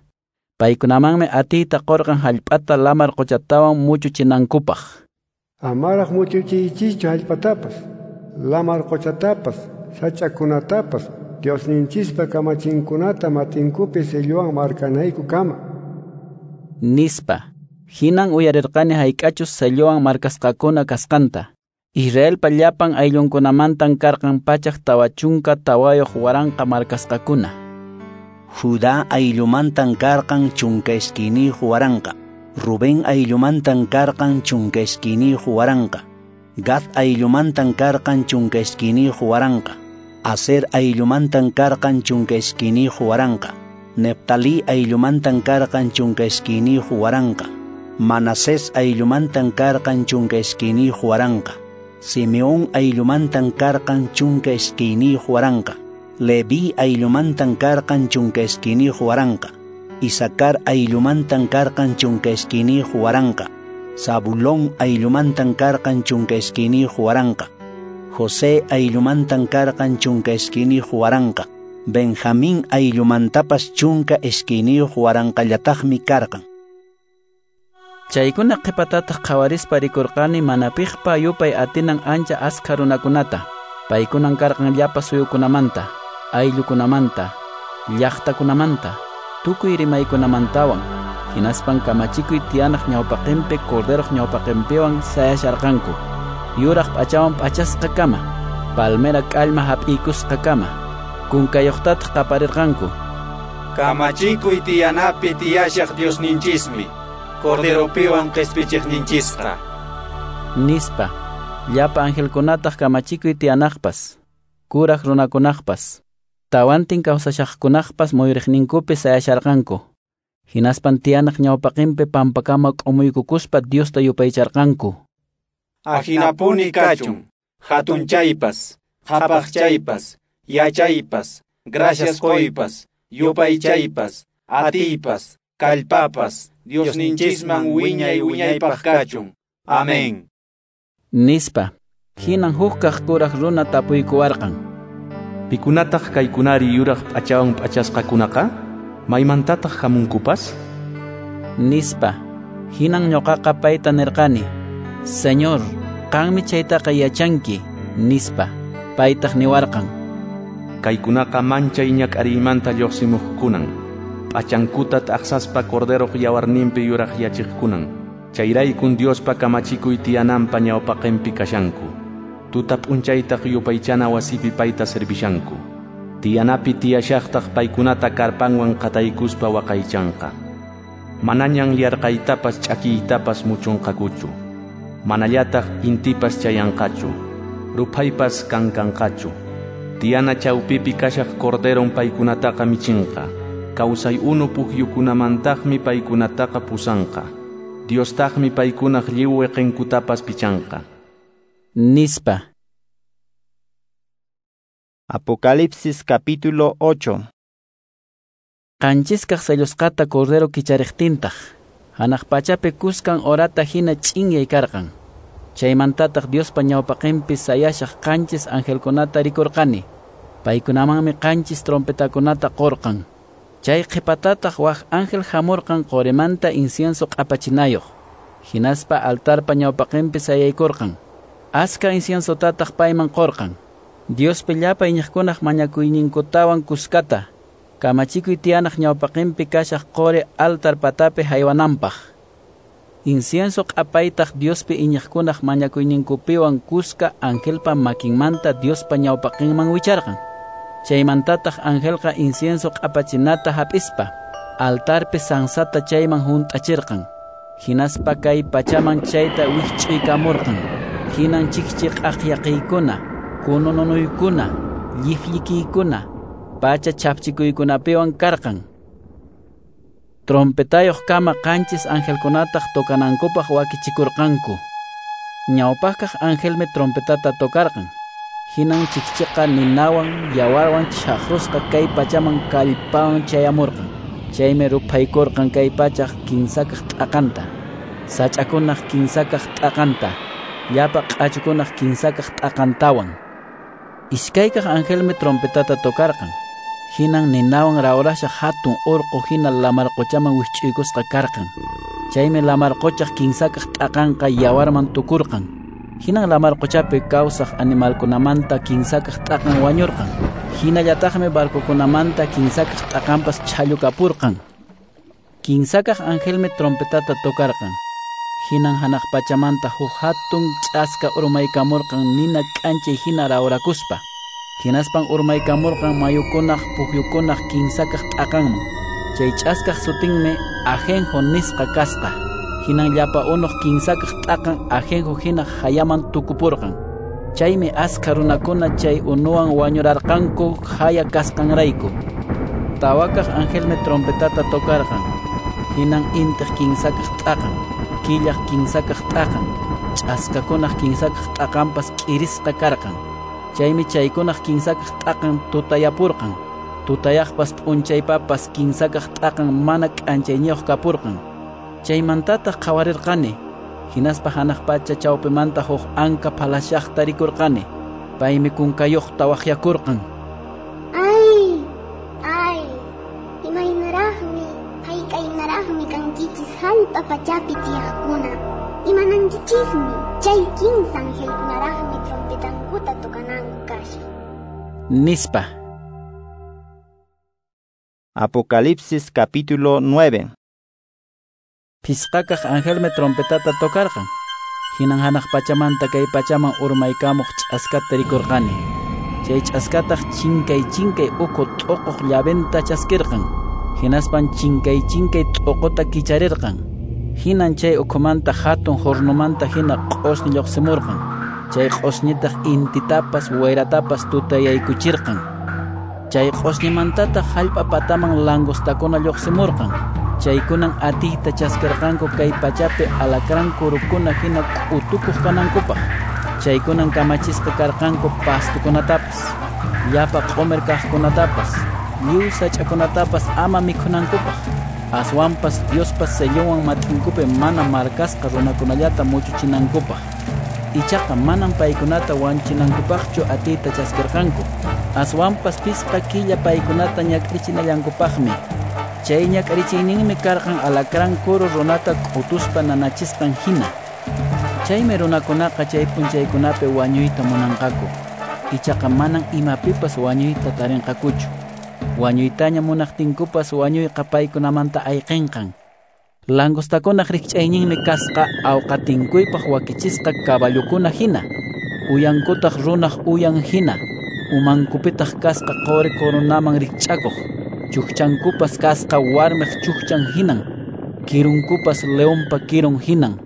Paykunamanmi atiyta qurqan hallp'ata lamar quchatawan muchuchinankupaq. Amaraq muchuchiychischu hallp'atapas, lamar quchatapas, sach'akunatapas, Diosninchispa kamachinkunata matinkupi sellowan markanaykukama. Nispa. Hinan uyarirqani hayk'achus sellowan markasqakuna kasqanta. Israelpa llapan ayllunkunamantan karqan pachak tawa chunka tawayuq waranqa markasqakuna. Judá ayllumantan karqan chunka iskayniyuq waranqa, Rubén ayllumantan karqan chunka iskayniyuq waranqa, Gad ayllumantan karqan chunka iskayniyuq waranqa, Aser ayllumantan karqan chunka iskayniyuq waranqa, Neftalí ayllumantan karqan chunka iskayniyuq waranqa, Manasés ayllumantan karqan chunka iskayniyuq waranqa, Simeón ayllumantan karqan chunka iskayniyuq waranqa, Leví ayllumantan karqan chunka iskayniyuq waranqa, Isakar ayllumantan karqan chunka iskayniyuq waranqa, Zabulón ayllumantan karqan chunka iskayniyuq waranqa, José ayllumantan karqan chunka iskayniyuq waranqa, Benjamín ayllumantapas chunka iskayniyuq waranqallataqmi karqan. Chaykuna qhipatataq qhawarispa rikurqani mana piqpa yupay atinan ancha askha runakunata. Paykunan karqan llapa suyukunamanta, ayllukunamanta, llaqtakunamanta, tukuy rimaykunamantawan. Hinaspan kamachikuy tiyanaq ñawpaqinpi corderoq ñawpaqinpiwan sayasharqanku. Yuraq p'achawan p'achasqa kama, palmera k'allma hap'iykusqa kama, kunkayuqtataq qaparirqanku: Kamachikuy tiyanapi tiyashaq Diosninchismi, Corderopiwan qispichiqninchisqa. Nispa. Llapa angelkunataq kamachikuy tiyanaqpas, kuraq runakunaqpas, tawantin kawsashaqkunaqpas muyuriqninkupi sayasharqanku. Hinaspan tiyanaq ñawpaqinpi pampakama k'umuykukuspa Diosta yupaycharqanku. Ahinapuni kachun, hatunchaypas, qhapaqchaypas, yachaypas, gracias qoypas, yupaychaypas, atiypas, kallpapas, Diosninchisman wiñay wiñaypaq kachun. Amén. Nispa. Hinan hukkaq kuraq runa tapuykuwarqan: Pikunataq kaykunari yuraq p'achawan p'achasqakunaqa? Maymantataq hamunkupas? Nispa. Hinan ñuqaqa payta nirqani: Señor, qanmi chaytaqa yachanki, nispa. Paytaq niwarqan: Kaykunaqa manchay ñak'ariymanta lluqsimuqkunan, p'achankuta t'aqsaspa corderoq yawarninpi yuraqyachiqkunan. Chayraykun Diospa kamachikuy tiyananpa ñawpaqinpi kashanku. Tuta p'unchaytaq yupaychana wasipi payta servishanku. Tiyanapi tiyashaqtaq paykunata karpanwan qataykuspa waqaychanqa. Manañan yarqaytapas ch'akiytapas muchunqakuchu. Manallataq intipas chayanqachu. Ruphaypas kankanqachu. Tiyana chawpipi kashaq corderon paykunataqa michinqa. Kawsay unu pukyukunamantaqmi paykunataqa pusanqa. Diostaqmi paykunaq lliw wiqinkutapas pichanqa. Nispa. Apocalipsis capítulo ocho. Qanchiskaq sellusqata Cordero kichariqtintaq, hanaq pachapi kuskan horata hina ch'inyay karqan. Chaymantataq Diospa ñawpaqinpi sayashaq qanchis angelkunata rikurqani. Paykunamanmi qanchis trompetakunata qorqan. Chay qhipatataq wak ángel hamurqan qorimanta incienso q'apachinayoq. Hinaspa altarpa ñawpaqinpi sayaykurqan. Aska inciensotataq payman qorqan. Diospi llapa iñiqkunaq mañakuyninkutawan kuskata, kamachikuy tiyanaq ñawpaqinpi kashaq qori altar patapi haywananpaq. Incienso q'apaytaq Diospi iñiqkunaq mañakuyninkupiwan kuska angelpa makinmanta Diospa ñawpaqinman wicharqan. Chaymantataq angelqa incienso q'apachinata hap'ispa, altarpi sansata chayman hunt'achirqan. Hinaspa kay pachaman chayta wikch'uykamurqan. Hinan chikchi q'aqyaqiykuna, kunununuykuna, llifllikiykuna, pacha chapchikuykunapiwan karqan. Trompetayuq kama qanchis angelkunataq tocanankupaq wakichikurqanku. Ñawpaqkaq angelmi trompetata tocarqan. Hinan chikchiqa ninawan yawarwan chhaqrusqa kay pachaman kallpawan chayamurqan. Chaymi ruphaykurqan kay pachaq kinsakaq t'aqanta, sach'akunaq kinsakaq t'aqanta, llapa q'achukunaq kinsakaq t'aqantawan. Iskaykaq angelmi trompetata tocarqan. Hinan ninawan rawrashaq hatun urqu hina lamar quchaman wikch'uykusqa karqan. Chaymi lamar quchaq kinsakaq t'aqanqa yawarman tukurqan. Hinan lamar quchapi kawsaq animalkunamanta kinsakaq t'aqan wañurqan. Hinallataqmi barcokunamanta kinsakaq t'aqanpas chhallukapurqan. Kinsakaq angelmi trompetata tocarqan. Hinan hanaq pachamanta huk hatun ch'aska urmaykamurqan nina k'anchay hina rawrakuspa. Hinaspan urmaykamurqan mayukunaq pukyukunaq kinsakaq t'aqanman. Chay ch'askaq sutinmi ajenjo nisqa kasqa. Hinan llapa unuq kinsakaq t'aqan ajenjo hina hayaman tukupurqan. Chaymi askha runakuna chay unuwan wañurarqanku haya kasqanrayku. Tawakaq angelmi trompetata tocarqan. Hinan intiq kinsakaq t'aqan, killaq kinsakaq t'aqan, ch'askakunaq kinsakaq t'aqanpas k'irisqa karqan. Chaymi chaykunaq kinsakaq t'aqan tutayapurqan. Tutayaqpas p'unchaypapas kinsakaq t'aqan mana k'anchayniyuq kapurqan. Chaymantataq qhawarirqani. Hinaspa hanaq pacha chawpimanta huk anka phalashaqta rikurqani. Paymi kunkayuqta waqyakurqan. Ay, ay, imaynaraqmi, hayk'aynaraqmi kankichis hallp'a pachapi tiyaqkuna. Imanankichismi, chay kinsa angelkunaraqmi trompetankuta tocananku kashan. Nispa. Apocalipsis capítulo nueve. Phisqakaq angelmi trompetata tocarqan. Hinan hanaq pachamanta kay pachaman urmaykamuq ch'askata rikurqani. Chay ch'askataq chinkay chinkay ukhu t'uquq llaventa chaskirqan. Hinaspan chinkay chinkay t'uquta kicharirqan. Hinan chay ukhumanta hatun hornomanta hina q'osñi lluqsimurqan. Chay q'osñitaq intitapas wayratapas tutayaykuchirqan. Chay q'osñimantataq hallp'a pataman langostakuna lluqsimurqan. Chaykunan atiyta chaskirqanku kay pachapi alacrán kurukuna hina k'utukuq kanankupaq. Chaykunan kamachisqa karqanku pastukunatapas, llapa q'umir kaqkunatapas, lliw sach'akunatapas ama mikhunankupaq. Aswanpas Diospa sellonwan mat'inkupi mana markasqa runakunallata muchuchinankupaq. Ichaqa manan paykunata wanchinankupaqchu atiyta chaskirqanku. Aswanpas pisqa killa paykunata ñak'arichinallankupaqmi. Chay ñak'arichiyninmi karqan alacrán kuru runata k'utuspa nanachisqan hina. Chaymi runakunaqa chay p'unchaykunapi wañuyta munanqaku. Ichaqa manan imapipas wañuyta tarinqakuchu. Wañuytaña munaqtinkupas wañuyqa paykunamanta ayqinqan. Langostakunaq rikch'ayninmi kasqa awqatinkuypaq wakichisqa caballokuna hina, uyankutaq runaq uyan hina, umankupitaq kasqa qori coronaman rikch'akuq. Chukchankupas kasqa warmiq chukchan hinan, kirunkupas leonpa kirun hinan,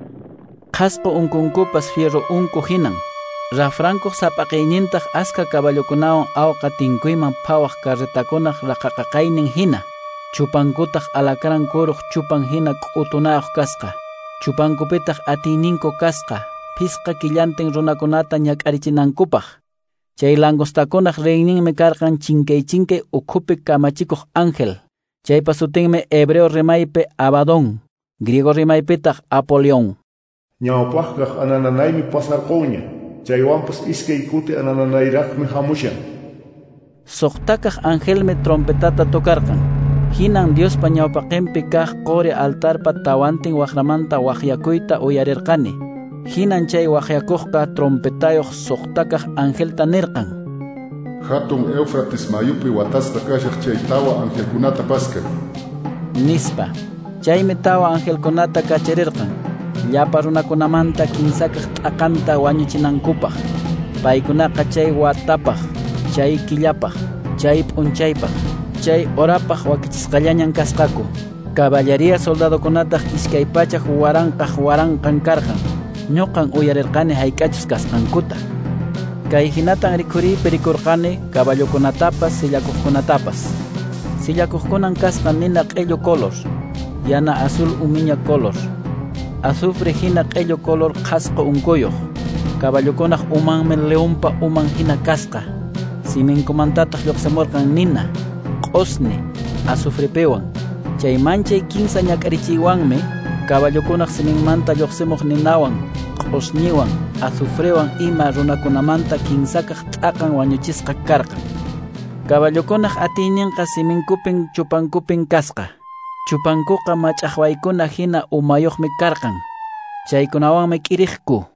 qhasqu unkunkupas fierro unku hinan. Rafrankuq sapaqaynintaq aska caballokunawan awqa tinkuyman phawaq carretakunaq raqaqaqaynin hina. Chupankutaq alacrán kuruq chupan hina k'utunayuq kasqa. Chupankupitaq atiyninku kasqa, phisqa killantin runakunata ñak'arichinankupaq. Chay langostakunaq reyninmi karqan chinkay chinkay ukhupi kamachikuq ángel. Chaypa sutinmi hebreo rimaypi Abadón, griego rimaypitaq Apolión. Ñawpaqkaq anananaymi pasarqunña, chaywanpas iskay kuti anananayraqmi hamushan. Suqtakaq angelmi trompetata tocarqan. Hinan Diospa ñawpaqinpi kaq qori altarpa tawantin waqramanta waqyakuyta uyarirqani. Hinan chay waqyakuqqa trompetayuq suqtakaq angelta nirqan: Hatun Éufrates mayupi watasqa kashaq chay tawa angelkunata paska, nispa. Chaymi tawa angelkunata kacharirqan llapa runakunamanta kinsakaq t'aqanta wañuchinankupaq. Paykunaqa chay watapaq, chay killapaq, chay p'unchaypaq, chay horapaq wakichisqallañan kasqaku. Caballería soldadokunataq iskay pachak waranqaq waranqan karqan. Ñuqan uyarirqani hayk'achus kasqankuta. Kay hinatan rikhuriypi rikurqani caballokunatapas sillakuqkunatapas. Sillakuqkunan kasqa nina q'illu color, yana azul umiña color, azufre hina q'illu color qhasqu unkuyuq. Caballokunaq umanmi leonpa uman hina kasqa. Siminkumantataq lluqsimurqan nina, q'usni, azufrepiwan. Chay manchay kinsa ñak'arichiywanmi caballokunaq siminmanta lluqsimuq ninawan, q'usñiwan, azufrewan ima runakunamanta kinsakaq t'aqan wañuchisqa karqan. Caballokunaq atiyninqa siminkupin chupankupin kasqa. Chupankuqa mach'aqwaykuna hina umayuqmi karqan. Chaykunawanmi k'iriqku.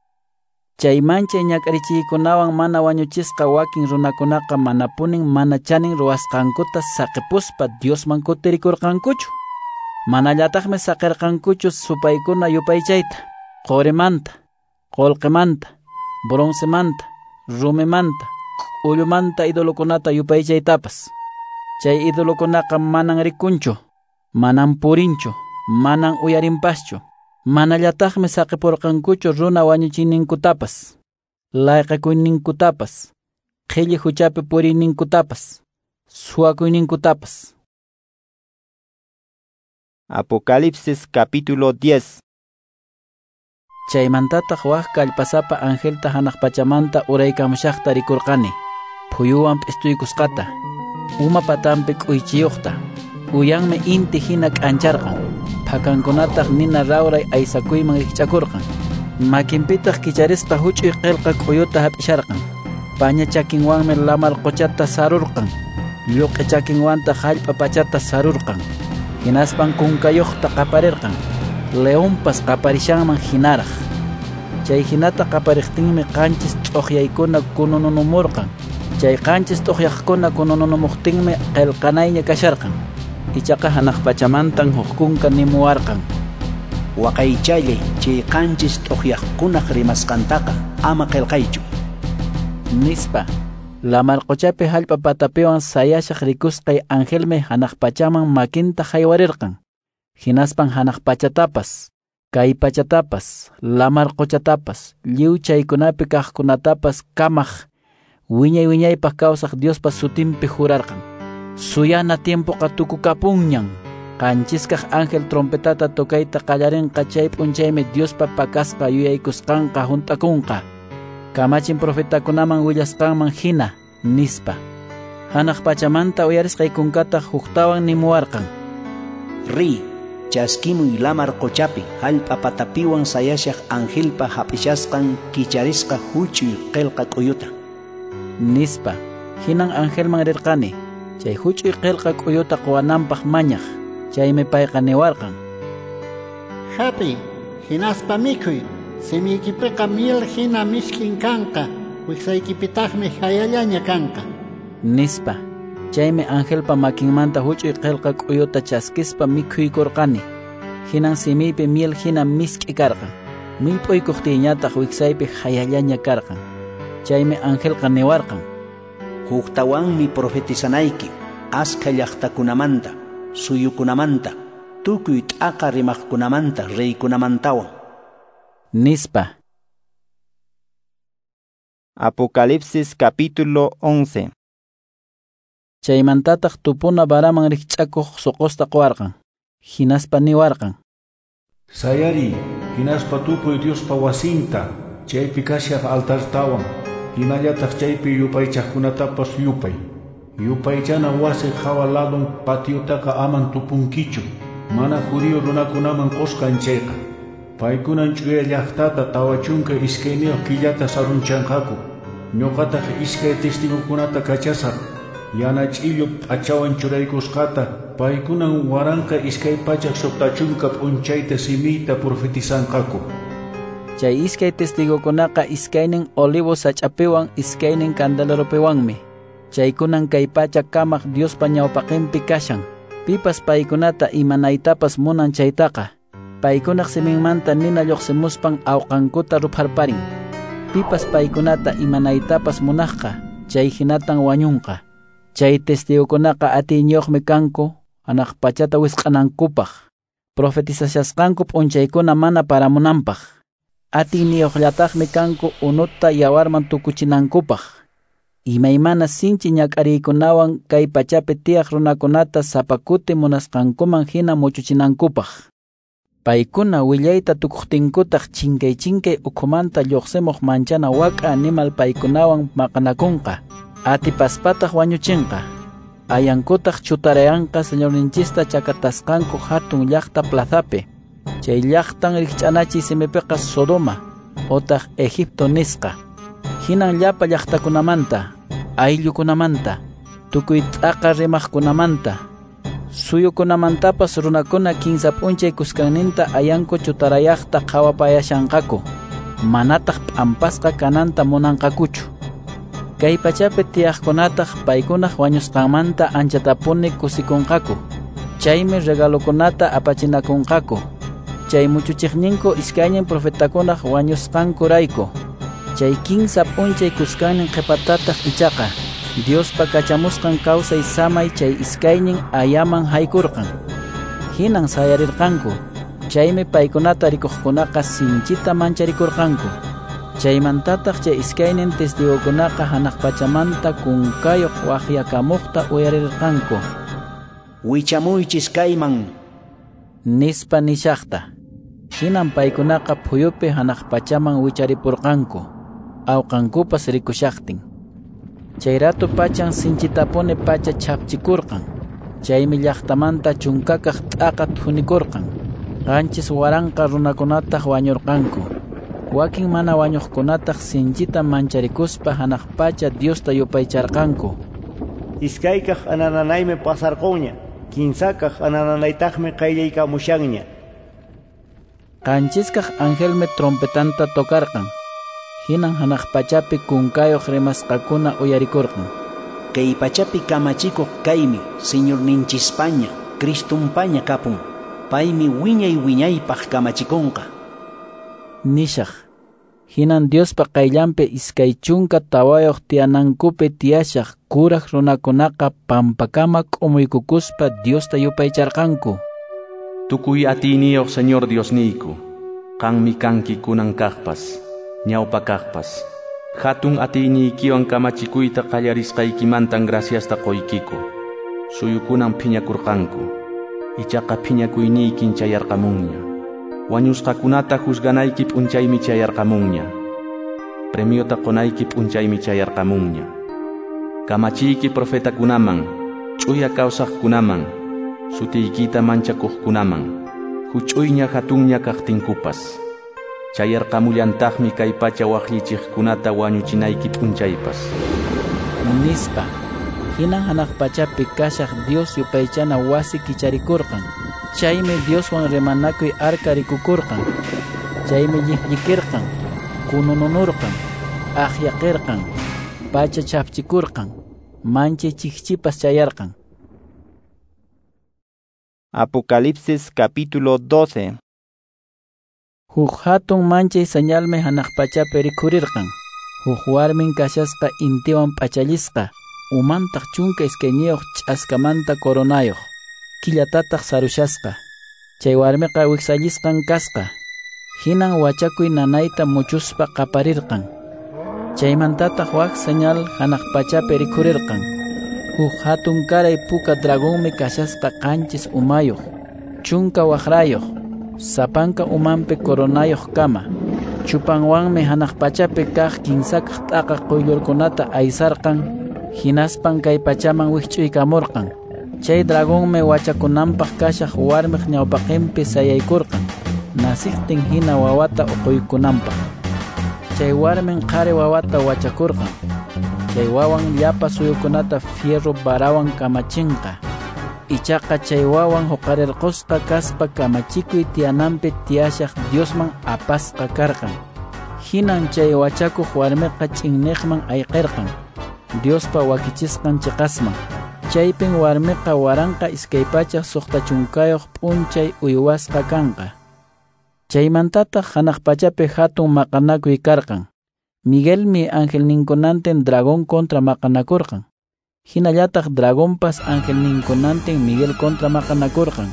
Chay manchay ñak'arichiykunawan mana wañuchisqa wakin runakunaqa manapunin mana chanin ruwasqankuta saqipuspa Diosman kutirikurqankuchu. Manallataqmi saqirqankuchu supaykuna yupaychayta, qorimanta, qullqimanta, broncemanta, rumimanta, k'ullumanta idolokunata yupaychaytapas. Chay idolokunaqa manan rikunchu, manan purinchu, manan uyarinpaschu. Manallataqmi saqipurqankuchu runa wañuchiyninkutapas, layqakuyninkutapas, qhilli huchapi puriyninkutapas, suwakuyninkutapas. Apocalipsis capítulo diez. Chaymantataq wak kallpasapa angelta hanaq pachamanta uraykamushaqta rikurqani. Phuyuwan p'istuykusqata, uma patanpi k'uychiyuqta, uyanmi inti hina k'ancharqan. Phakankunataq nina rawray aysakuyman rikch'akurqan. Makinpitaq kicharisqa huch'uy qillqa k'uyuta hap'isharqan. Paña chakinwanmi lamar quchata sarurqan. Lluq'i chakinwantaq hallp'a pachata sarurqan. Hinaspan kunkayuqta qaparirqan. Leonpas qaparishanman hinaraq. Chay hinata qapariqtinmi qanchis t'uqyaykuna kunununumurqan. Chay qanchis t'uqyaqkuna kunununumuqtinmi qillqanayña kasharqan. Ichaqa hanaq pachamantan huk kunka nimuwarqan: Waqaychallay chay qanchis t'uqyaqkunaq rimasqantaqa ama qillqaychu, nispa. Lamar quchapi hallp'a patapiwan sayashaq rikusqay angelmi hanaq pachaman makinta haywarirqan. Hinaspan hanaq pachatapas, kay pachatapas, lamar quchatapas, lliw chaykunapi kaqkunatapas kamaq wiñay wiñaypaq kawsaq Diospa sutinpi jurarqan: Suyana tiempoqa tukukapunñan. Qanchiskaq ángel trompetata tocayta qallarinqa chay p'unchaymi Diospa pakasqa yuyaykusqanqa hunt'akunqa. Kamachin profetakunaman willasqanman hina, nispa. Hanaq pachamanta uyarisqay kunkataq huktawan nimuwarqan: Riy, chaskimuy lamar quchapi hallp'a patapiwan sayashaq angelpa hap'ishasqan kicharisqa huch'uy qillqa k'uyuta, nispa. Hinan angelman rirqani chay huch'uy qillqa k'uyuta quwananpaq mañaq. Chaymi payqa niwarqan: Hap'iy, hinaspa mikhuy. Simiykipiqa miel hina mishk'in kanqa, wiksaykipitaqmi hayallaña kanqa, nispa. Chaymi angelpa makinmanta huch'uy qillqa k'uyuta chaskispa mikhuykurqani. Hinan simiypi miel hina misk'i karqan. Millp'uykuqtiyñataq wiksaypi hayallaña karqan. Chaymi angelqa niwarqan: Huktawanmi profetizanayki askha llaqtakunamanta, suyukunamanta, tukuy t'aqa rimaqkunamanta, reykunamantawan, nispa. Apocalipsis capítulo once. Chaymantataq tupuna varaman rikch'akuq suqusta quwarqan. Hinaspa niwarqan: Sayariy, hinaspa tupuy Diospa wasinta, chaypi kashaq altartawan, hinallataq chaypi yupaychaqkunatapas yupay. Yupaychana wasi hawa ladun patiotaqa aman tupunkichu, mana judío runakunaman qusqan chayqa. Paykunan ch'uya llaqtata tawa chunka iskayniyuq killata sarunchanqaku. Ñuqataq iskay testigukunata kachasaq, yana ch'illu p'achawan churaykusqata, paykunan waranqa iskay pachak suqta chunka p'unchayta simiyta profetizanqaku. Chay iskay testigukunaqa iskaynin olivo sach'apiwan iskaynin candeleropiwanmi. Chaykunan kay pacha kamaq Diospa ñawpaqinpi kashan. Pipas paykunata imanaytapas munan chaytaqa, paykunaq siminmanta nina lluqsimuspan awqankuta rupharparin. Pipas paykunata imanaytapas munaqqa, chay hinatan wañunqa. Chay testigukunaqa atiyniyuqmi kanku hanaq pachata wisq'anankupaq, profetizashasqanku p'unchaykuna mana paramunanpaq. Atiyniyuqllataqmi kanku unuta yawarman tukuchinankupaq. Imaymana sinchi ñak'ariykunawan kay pachapi tiyaq runakunata sapa kuti munasqankuman hina muchuchinankupaq. Paykuna willayta tukuqtinkutaq chinkay chinkay ukhumanta lluqsimuq manchana wak'a animal paykunawan maqanakunqa, atipaspataq wañuchinqa. Ayankutaq chutarayanqa Señorninchista chakatasqanku hatun llaqta plazapi. Chay llaqtan rikch'anachiy simipiqa Sodoma otaq Egipto nisqa. Hinan llapa llaqtakunamanta, ayllukunamanta, tukuy t'aqa rimaqkunamanta, suyukunamantapas runakuna kinsa p'unchay kuskanninta ayanku chutarayaqta qhawapayashanqaku, manataq p'ampasqa kananta munanqakuchu. Kay pachapi tiyaqkunataq paykunaq wañusqanmanta anchatapuni kusikunqaku. Chaymi regalokunata apachinakunqaku. Chay muchuchiqninku iskaynin profetakunaq wañusqankurayku. Chay kinsa p'unchay kuskannin qhipatataq ichaqa Diospa kachamusqan kawsay samay chay iskaynin ayaman haykurqan. Hinan sayarirqanku. Chaymi paykunata rikuqkunaqa sinchita mancharikurqanku. Chaymantataq chay iskaynin testigukunaqa hanaq pachamanta kunkayuq waqyakamuqta uyarirqanku. Wichamuychis kayman, nispa nishaqta. Hinan paykunaqa phuyupi hanaq pachaman wicharipurqanku, awqankupas rikushaqtin. Chay ratu pachan sinchitapuni pacha chhapchikurqan. Chaymi llaqtamanta chunkakaq t'aqa thunikurqan. Qanchis waranqa runakunataq wañurqanku. Wakin mana wañuqkunataq sinchita mancharikuspa hanaq pacha Diosta yupaycharqanku. Iskaykaq anananaymi pasarqunña, kinsakaq anananaytaqmi qayllaykamushanña. Qanchiskaq angelmi trompetanta tocarqan. Hinan hanaq pachapi kunkayuq rimasqakuna uyarikurqan. Kay pachapi kamachikuq kaymi Señorninchispaña, Cristumpaña kapun. Paymi wiñay wiñaypaq kamachikunqa. Nishaq. Hinan Diospa qayllanpi iskay chunka tawayuq tiyanankupi tiyashaq kuraq runakunaqa pampakama k'umuykukuspa Diosta yupaycharqanku. Tukuy atiyniyuq Señor Diosniyku, qanmi kanki kunan kaqpas, ñawpa kaqpas. Hatun atiyniykiwan kamachikuyta qallarisqaykimantan graciasta qoykiku. Suyukunan phiñakurqanku, ichaqa phiñakuyniykin chayarqamunña. Wañusqakunata juzganayki p'unchaymi chayarqamunña. Premiota qonayki p'unchaymi chayarqamunña. Kamachiyki profetakunaman, ch'uya kawsaqkunaman, sutiykita manchakuqkunaman, huch'uyña hatunña kaqtinkupas. Chayarqamullantaqmi kay pacha waqllichiqkunata wañuchinayki p'unchaypas. Nispa. Hinan hanaq pachapi kashaq Dios yupaychana wasi kicharikurqan. Chaymi Dioswan rimanakuy arka rikukurqan. Chaymi lliqllikirqan, kunununurqan, aqyaqirqan, pacha chhapchikurqan, manchay chikchipas chayarqan. Apocalipsis capítulo doce. Huk hatun manchay señalmi hanaq pachapi rikhurirqan. Huk warmin kashasqa intiwan p'achallisqa, umantaq chunka iskayniyuq ch'askamanta coronayuq, killatataq sarushasqa. Chay warmiqa wiksallisqan kasqa. Hinan wachakuy nanayta muchuspa qaparirqan. Chaymantataq wak señal hanaq pachapi rikhurirqan. Huk hatun karay puka dragonmi kashasqa qanchis umayuq, chunka waqrayuq, sapanka umanpi coronayuq kama. Chupanwanmi hanaq pachapi kaq kinsakaq t'aqa quyllurkunata aysarqan, Hinaspan kay pachaman wikch'uykamurqan. Chay dragonmi wachakunanpaq kashaq warmiq ñawpaqinpi sayaykurqan, nasiqtin hina wawata uquykunanpaq. Chay warmin qhari wawata wachakurqan. Chay wawan llapa suyukunata fierro varawan kamachinqa. Ichaqa chay wawan huqarirqusqa kaspa kamachikuy tiyananpi tiyashaq Diosman apasqa karqan. Hinan chay wachakuq warmiqa ch'inniqman ayqirqan, Diospa wakichisqan chiqasman. Chaypin warmiqa waranqa iskay pachak suqta chunkayuq p'unchay uywasqa kanqa. Chaymantataq hanaq pachapi hatun maqanakuy karqan. Miguelmi angelninkunantin dragón contra maqanakurqan. Hinallataq dragonpas angelninkunantin Miguel contra maqanakurqan.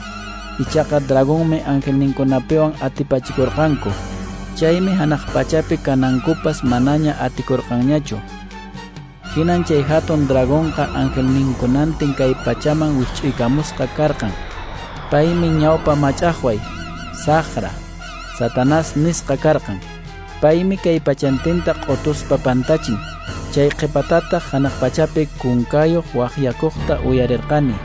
Ichaqa dragonmi angelninkunapiwan atipachikurqanku. Chaymi hanaq pachapi kanankupas manaña atikurqanñachu. Hinan chay hatun dragonqa angelninkunantin kay pachaman wikch'uykamusqa karqan. Paymi ñawpa mach'aqway, saqra, Satanás nisqa karqan. Paymi kay pachantinta q'utuspa pantachin. Chay qhipatataq hanaq pachapi kunkayuq waqyakuqta uyarirqani.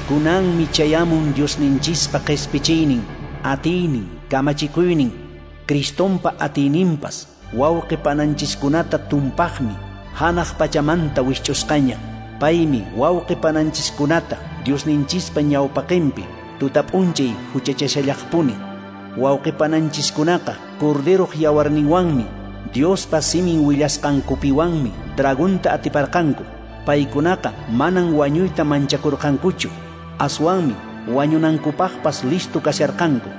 Kunanmi chayamun Diosninchispa qhispichiynin, atiynin, kamachikuynin, Cristonpa atiyninpas, wawqi pananchiskunata tumpaqmi, hanaq pachamanta wikch'usqaña. Paymi wawqi pananchiskunata Diosninchispa ñawpaqinpi tutap'unchay huchachashallaqpuni. Wawqi pananchiskunaqa Corderoq yawarninwanmi, Diospa simin willasqankupiwanmi dragonta atiparqanku. Paykunaqa manan wañuyta manchakurqankuchu, aswanmi wañunankupaqpas listo kasharqanku.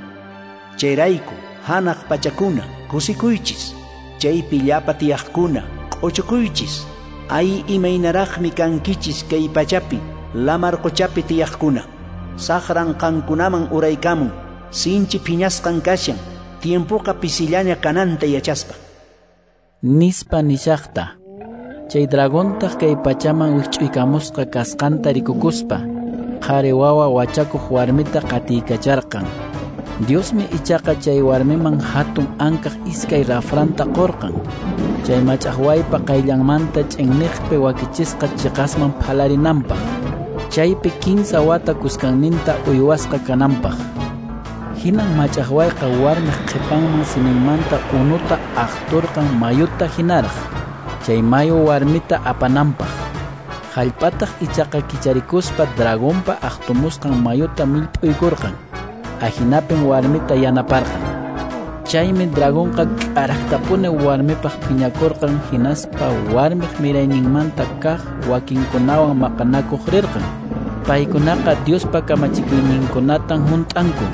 Chayrayku hanaq pachakuna kusikuychis, chaypi llapa tiyaqkuna q'uchukuychis. Ay imaynaraqmi kankichis kay pachapi lamar quchapi tiyaqkuna. Saqran qankunaman uraykamun, sinchi phiñasqan kashan, tiempoqa pisillaña kananta yachaspa. Nispa nishaqta. Chay dragontaq kay pachaman wikch'uykamusqa kasqanta rikukuspa, qhari wawa wachakuq warmita qatiykacharqan. Diosmi ichaqa chay warmiman hatun ankaq iskay rafranta qurqan. Chay mach'aqwaypa qayllanmanta ch'inniqpi wakichisqa chiqasman phalarinanpaq. Chaypi kinsa wata kuskanninta uywasqa kananpaq. Hinan mach'aqwayqa warmiq qhipanman siminmanta unuta aqturqan mayuta hinaraq, chay mayu warmita apananpaq. Hallp'ataq ichaqa kicharikuspa dragonpa aqtumusqan mayuta millp'uykurqan. Ahinapin warmita yanaparqan. Chaymi dragonqa k'araqtapuni warmipaq phiñakurqan, hinaspa warmiq mirayninmanta kaq wakinkunawan maqanakuq rirqan. Paykunaqa Diospa kamachikuyninkunatan hunt'anku,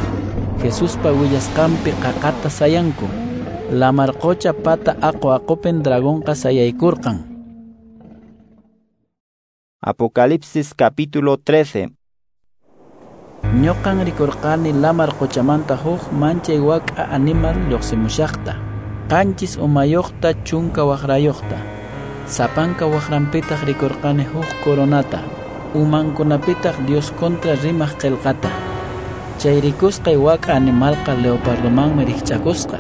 Jesuspa willasqanpi qaqata sayanku. Lamar qucha pata aqu aqupin dragonqa sayaykurqan. Apocalipsis capítulo trece. Ñuqan rikurqani lamar quchamanta huk manchay wak'a animal lluqsimushaqta, qanchis umayuqta chunka waqrayuqta. Sapanka waqranpitaq rikurqani huk coronata, umankunapitaq Dios contra rimaq qillqata. Chay rikusqay wak'a animalqa leopardomanmi rikch'akusqa,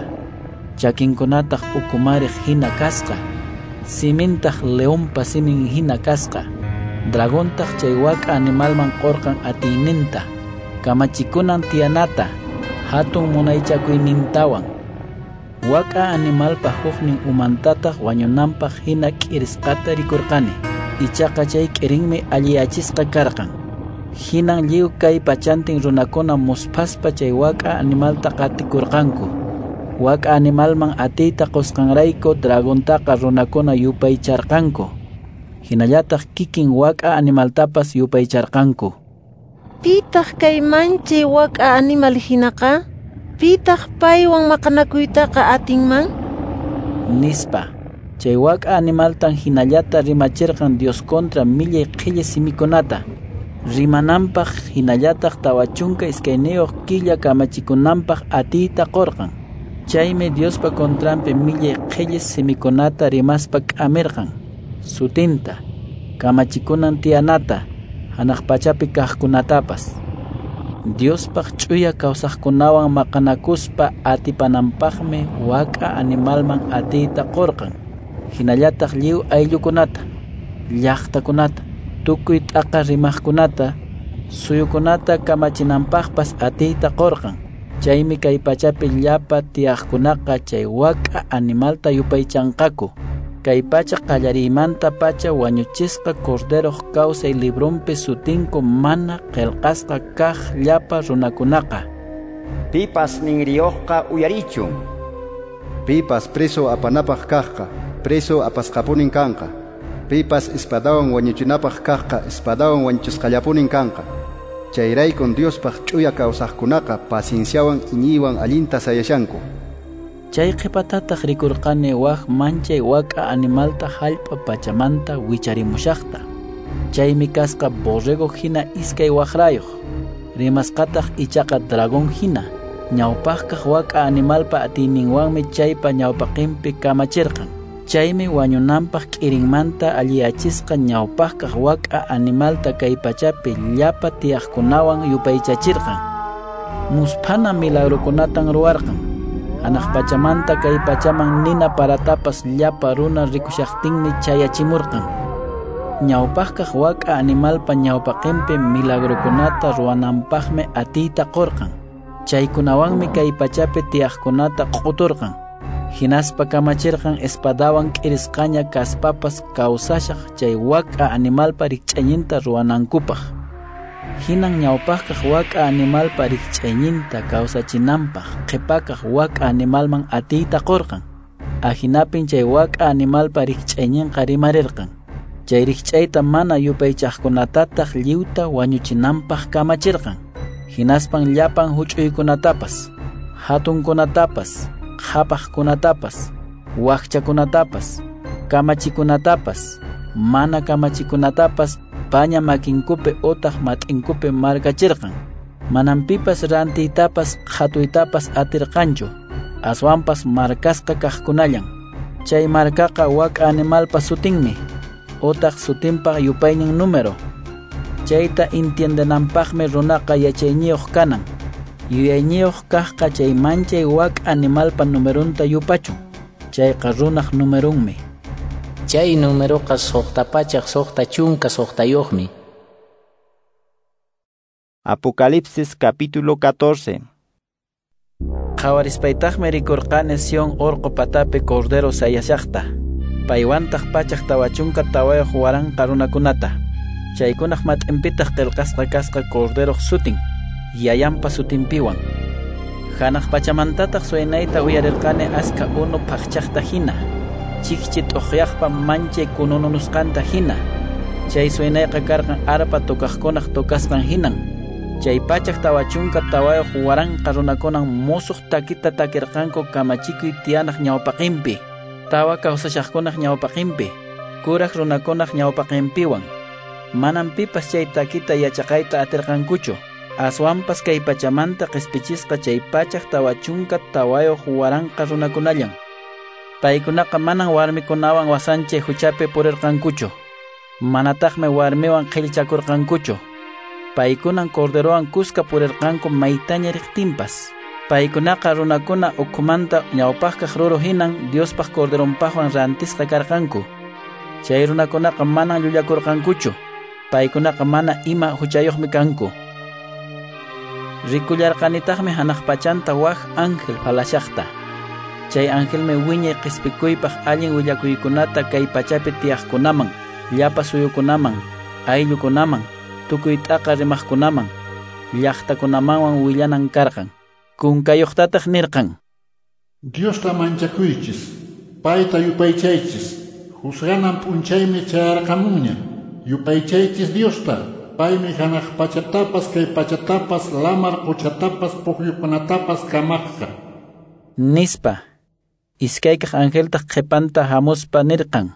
chakinkunataq ukumariq hina kasqa, simintaq leonpa simin hina kasqa. Dragontaq chay wak'a animalman qurqan atiyninta, kamachikunan tiyanata, hatun munaychakuynintawan. Wak'a animalpa huknin umantataq wañunanpaq hina k'irisqata rikurqani. Ichaqa chay k'irinmi alliyachisqa karqan. Hinan lliw kay pachantin runakuna musphaspa chay wak'a animalta qatikurqanku. Wak'a animalman atiyta qusqanrayku dragontaqa runakuna yupaycharqanku. Hinallataq kikin wak'a animaltapas yupaycharqanku. Pitaq kay manchay wak'a animal hinaqa? Pitaq paywan maqanakuytaqa atinman? Nispa. Chay wak'a animaltan hinallata rimachirqan Dios contra millay qhilli simikunata. Rimananpaq hinallataq tawa chunka iskayniyuq killa kamachikunanpaq atiyta qurqan. Chaymi Diospa contranpi millay qhilli simikunata rimaspa k'amirqan. Sutinta, kamachikunan tiyanata, hanaq pachapi kaqkunatapas. Diospaq ch'uya kawsaqkunawan maqanakuspa atipananpaqmi wak'a animalman atiyta qurqan. Hinallataq lliw ayllukunata, llaqtakunata, tukuy t'aqa rimaqkunata, suyukunata kamachinanpaqpas atiyta qurqan. Chaymi kay pachapi llapa tiyaqkunaqa chay wak'a animalta yupaychanqaku. Kay pacha qallariymanta pacha wañuchisqa Corderoq kawsay librunpi sutinku mana qillqasqa kaq llapa runakunaqa. Pipas ninriyuqqa uyarichun. Pipas preso apanapaq kaqqa, preso apasqapunin kanqa. Pipas espadawan wañuchinapaq kaqqa, espadawan wañuchisqallapunin kanqa. Chayraykun Diospaq ch'uya kawsaqkunaqa pacienciawan iñiywan allinta sayashanku. Chay qhipatataq rikurqani wak manchay wak'a animalta hallp'a pachamanta wicharimushaqta. Chaymi kasqa borrego hina iskay waqrayuq, rimasqataq ichaqa dragón hina. Ñawpaqkaq wak'a animalpa atiyninwanmi chaypa ñawpaqinpi kamachirqan. Chaymi wañunanpaq k'irinmanta alliyachisqa ñawpaqkaq wak'a animalta kay pachapi llapa tiyaqkunawan yupaychachirqan. Musphana milagrukunatan ruwarqan. Hanaq pachamanta kay pachaman nina paratapas llapa runa rikushaqtinmi chayachimurqan. Ñawpaqkaq wak'a animalpa ñawpaqinpi milagrukunata ruwananpaqmi atiyta qurqan. Chaykunawanmi kay pachapi tiyaqkunata q'uturqan. Hinaspa kamachirqan espadawan k'irisqaña kaspapas kawsashaq chay wak'a animalpa rikch'ayninta ruwanankupaq. Hinan ñawpaqkaq wak'a animalpa rikch'ayninta kawsachinanpaq qhipakaq wak'a animalman atiyta qurqan. Ahinapin chay wak'a animalpa rikch'ayninqa rimarirqan. Chay rikch'ayta mana yupaychaqkunatataq lliwta wañuchinanpaq kamachirqan. Hinaspan llapan huch'uykunatapas, hatunkunatapas, qhapaqkunatapas, wakchakunatapas, kamachikunatapas, mana kamachikunatapas paña makinkupi utaq mat'inkupi markachirqan. Manam pipas rantiytapas qhatuytapas atirqanchu, aswanpas markasqa kaqkunallan. Chay markaqa wak'a animalpa sutinmi, utaq sutinpa yupaynin número. Chayta entiendenanpaqmi runaqa yachayniyuq kanan. Yuyayniyuq kaqqa chay manchay wak'a animalpa numerunta yupachun. Chayqa runaq numerunmi. Chay numeroqa suqta pachaq suqta chunka suqtayuqmi. Apocalipsis capítulo catorce. Qhawarispaytaqmi rikurqani Sion urqu patapi Cordero sayashaqta. Paywantaq pachaq tawa chunka tawayuq waranqa runakunata. Chaykunaq mat'inpitaq qillqasqa kasqa Corderoq sutin, yayanpa sutinpiwan. Hanaq pachamantataq suynayta uyarirqani aska unu phaqchaqta hina, chikchi t'uqyaqpa manchay kunununusqanta hina. Chay suynayqa karqan arpa tocaqkunaq tocasqan hinan. Chay pachaq tawa chunka tawayuq waranqa runakunan musuq takita takirqanku kamachikuy tiyanaq ñawpaqinpi, tawa kawsashaqkunaq ñawpaqinpi, kuraq runakunaq ñawpaqinpiwan. Manam pipas chay takita yachaqayta atirqankuchu. Aswanpas kay pachamanta qispichisqa chay pachaq tawa chunka tawayuq waranqa runakunallan. Paykunaqa manan warmikunawan wasanchay huchapi purirqankuchu. Manataqmi warmiwan qhillchakurqankuchu. Paykunan Corderowan kuska purirqanku maytaña riqtinpas. Paykunaqa runakuna ukhumanta ñawpaqkaq ruru hinan Diospaq Corderonpaqwan rantisqa karqanku. Chay runakunaqa manan llullakurqankuchu. Paykunaqa mana ima huchayuqmi kanku. Rikullarqanitaqmi hanaq pachanta wak ángel phalashaqta. Chay angelmi wiñay qispikuypaq allin willakuykunata kay pachapi tiyaqkunaman, llapa suyukunaman, ayllukunaman, tukuy t'aqa rimaqkunaman, llaqtakunamanwan willanan karqan. Kunkayuqtataq nirqan: Diosta manchakuychis, payta yupaychaychis, juzganan p'unchaymi chayarqamunña. Yupaychaychis Diosta, paymi hanaq pachatapas, kay pachatapas, lamar quchatapas, pukyukunatapas kamaqqa. Nispa. Iskaykaq angeltaq qhipanta hamuspa nirqan: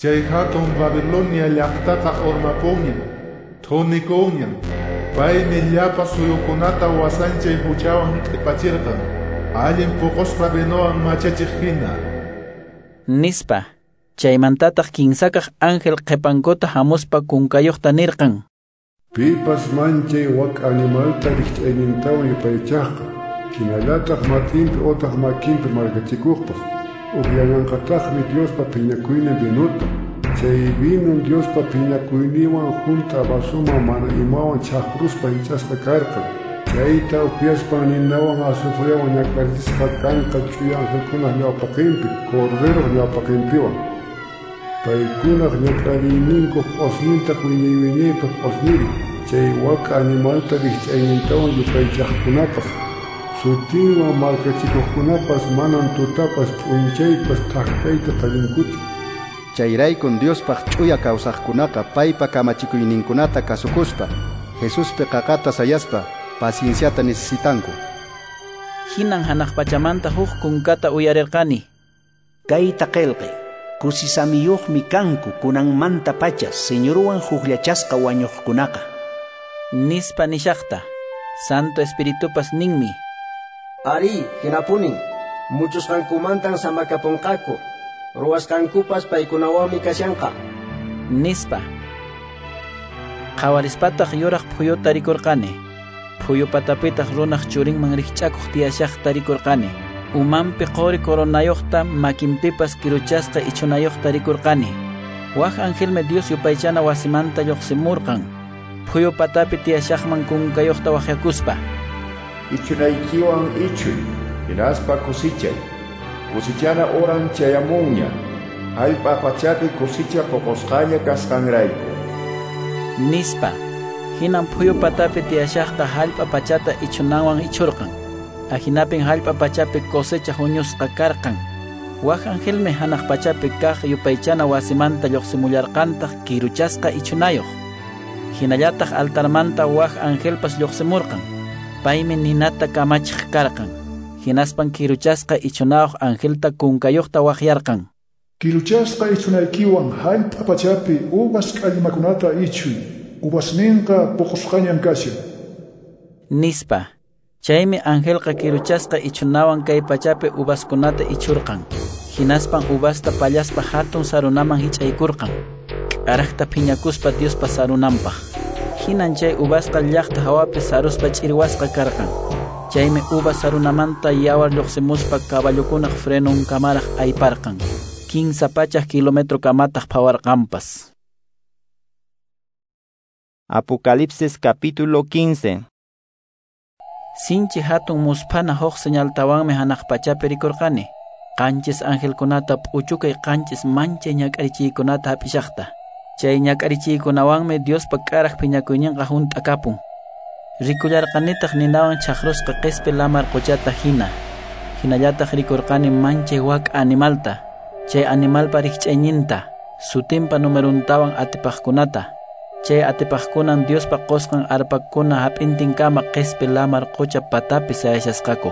Chay hatun Babilonia llaqtaqa urmapunña, thunikunña. Paymi llapa suyukunata wasanchay huchawan q'ipachirqan, allin puqusqa vinowan machachiq hina. Nispa. Chaymantataq kinsakaq ángel qhipankuta hamuspa kunkayuqta nirqan: Pipas manchay wak'a animalta rikch'aynintawan yupaychaqqa, hinallataq mat'inpi utaq makinpi markachikuqpas, upyananqataqmi Diospa phiñakuynin vinuta, Chay vinon Diospa phiñakuyninwan hunt'a vasoman mana imawan chhaqruspa hich'asqa karqan. Chayta upyaspan ninawan azufrewan ñak'arichisqa kanqa ch'uya angelkunaq ñawpaqinpi, Corderoq ñawpaqinpiwan. Paykunaq ñak'ariyninkuq q'osñintaq wiñay wiñaypaq q'osñirin, chay wak'a animalta rikch'aynintawan yupaychaqkunapaq. Sutinwan markachikuqkunapas manan tutapas p'unchaypas thak kayta tarinkuchu. Chayraykun Diospaq ch'uya kawsaqkunaqa paypa kamachikuyninkunata kasukuspa, Jesuspi qaqata sayaspa pacienciata necesitanku. Hinan hanaq pachamanta huk kunkata uyarirqani. Kayta qillqay, kusisamiyuqmi kanku kunanmanta pacha Señorwan hukllachasqa wañuqkunaqa. Nispa nishaqta, Santo Espiritupas ninmi. Ari, hinapunin, muchusqankumantan samakapunqaku, ruwasqankupas paykunawanmi kashanqa. Nispa. Qhawarispataq yuraq phuyuta rikurqani. Phuyu patapitaq runaq churinman rikch'akuq tiyashaqta rikurqani. Umanpi qori coronayuqta, makinpipas kiruchasqa ichunayuqta rikurqani. Wak angelmi Dios yupaychana wasimanta lluqsimurqan. Phuyu patapi tiyashaqman kunkayuqta waqyakuspa. Ichunaykiwan ichuy, hinaspa kusichay. Kusichana oran chayamunña, hallp'a pachapi kusicha poqosqaña kasqanrayku. Nispa. Hinan phuyu patapi tiyashaqta hallp'a pachata ichunanwan ichurqan. Ahinapin hallp'a pachapi cosecha huñusqa karqan. Wak angelmi hanaq pachapi kaq yupaychana wasimanta lluqsimullarqantaq kiruchasqa ichunayuq. Hinallataq altarmanta wak angelpas lluqsimurqan. Paymi ninata kamachiq karqan. Hinaspan kiruchasqa ichunayuq angelta kunkayuqta waqyarqan. Kiruchasqa ichunaykiwan hallp'a pachapi uvas k'allmakunata ichuy. Uvasninqa puqusqañan kashan. Nispa. Chaymi angelqa kiruchasqa ichunawan kay pachapi uvaskunata ichurqan. Hinaspan uvasta pallaspa hatun sarunaman hich'aykurqan. K'araqta phiñakuspa Diospa sarunanpaq. Hinan chay uvasqa llaqta hawapi saruspa ch'irwasqa karqan. Chaymi uvas sarunamanta yawar lluqsimuspa caballokunaq frenunkamaraq ayparqan. Kinsa pachak kilometro kamataq phawarqanpas. Apocalipsis capítulo quince. Sinchi hatun musphana huk señaltawanmi hanaq pachapi rikurqani. Qanchis angelkunata p'uchukay qanchis manchay ñak'arichiykunata hap'ishaqta. Chay ñak'arichiykunawanmi Diospa k'araq phiñakuyninqa hunt'akapun. Rikullarqanitaq ninawan chhaqrusqa qispi lamar quchata hina. Hinallataq rikurqani manchay wak'a animalta, chay animalpa rikch'ayninta, sutinpa numeruntawan atipaqkunata. Chay atipaqkunan Diospa qusqan arpakuna hap'intinkama qispi lamar qucha patapi sayashasqaku.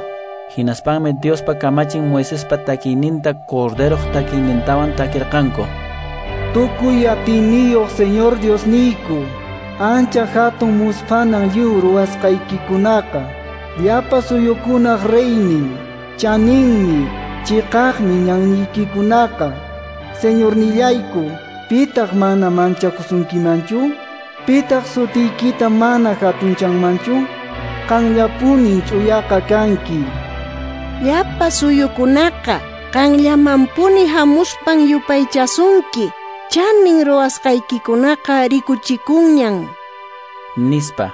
Hinaspanmi Diospa kamachin Moisespa takiyninta Corderoq takiynintawan takirqanku. Tukuy atiyniyuq Señor Diosniyku, ancha hatun musphanan lliw ruwasqaykikunaqa, llapa suyukunaq reynin, chaninmi, chiqaqmi ñanniykikunaqa. Señornillayku, pitaq mana manchakusunkimanchu? Pitaq sutiykita mana hatunchanmanchu? Qanllapunin ch'uyaqa kanki. Llapa suyukunaqa qanllamanpuni hamuspan yupaychasunki. Chanin ruwasqaykikunaqa rikuchikunñan. Nispa.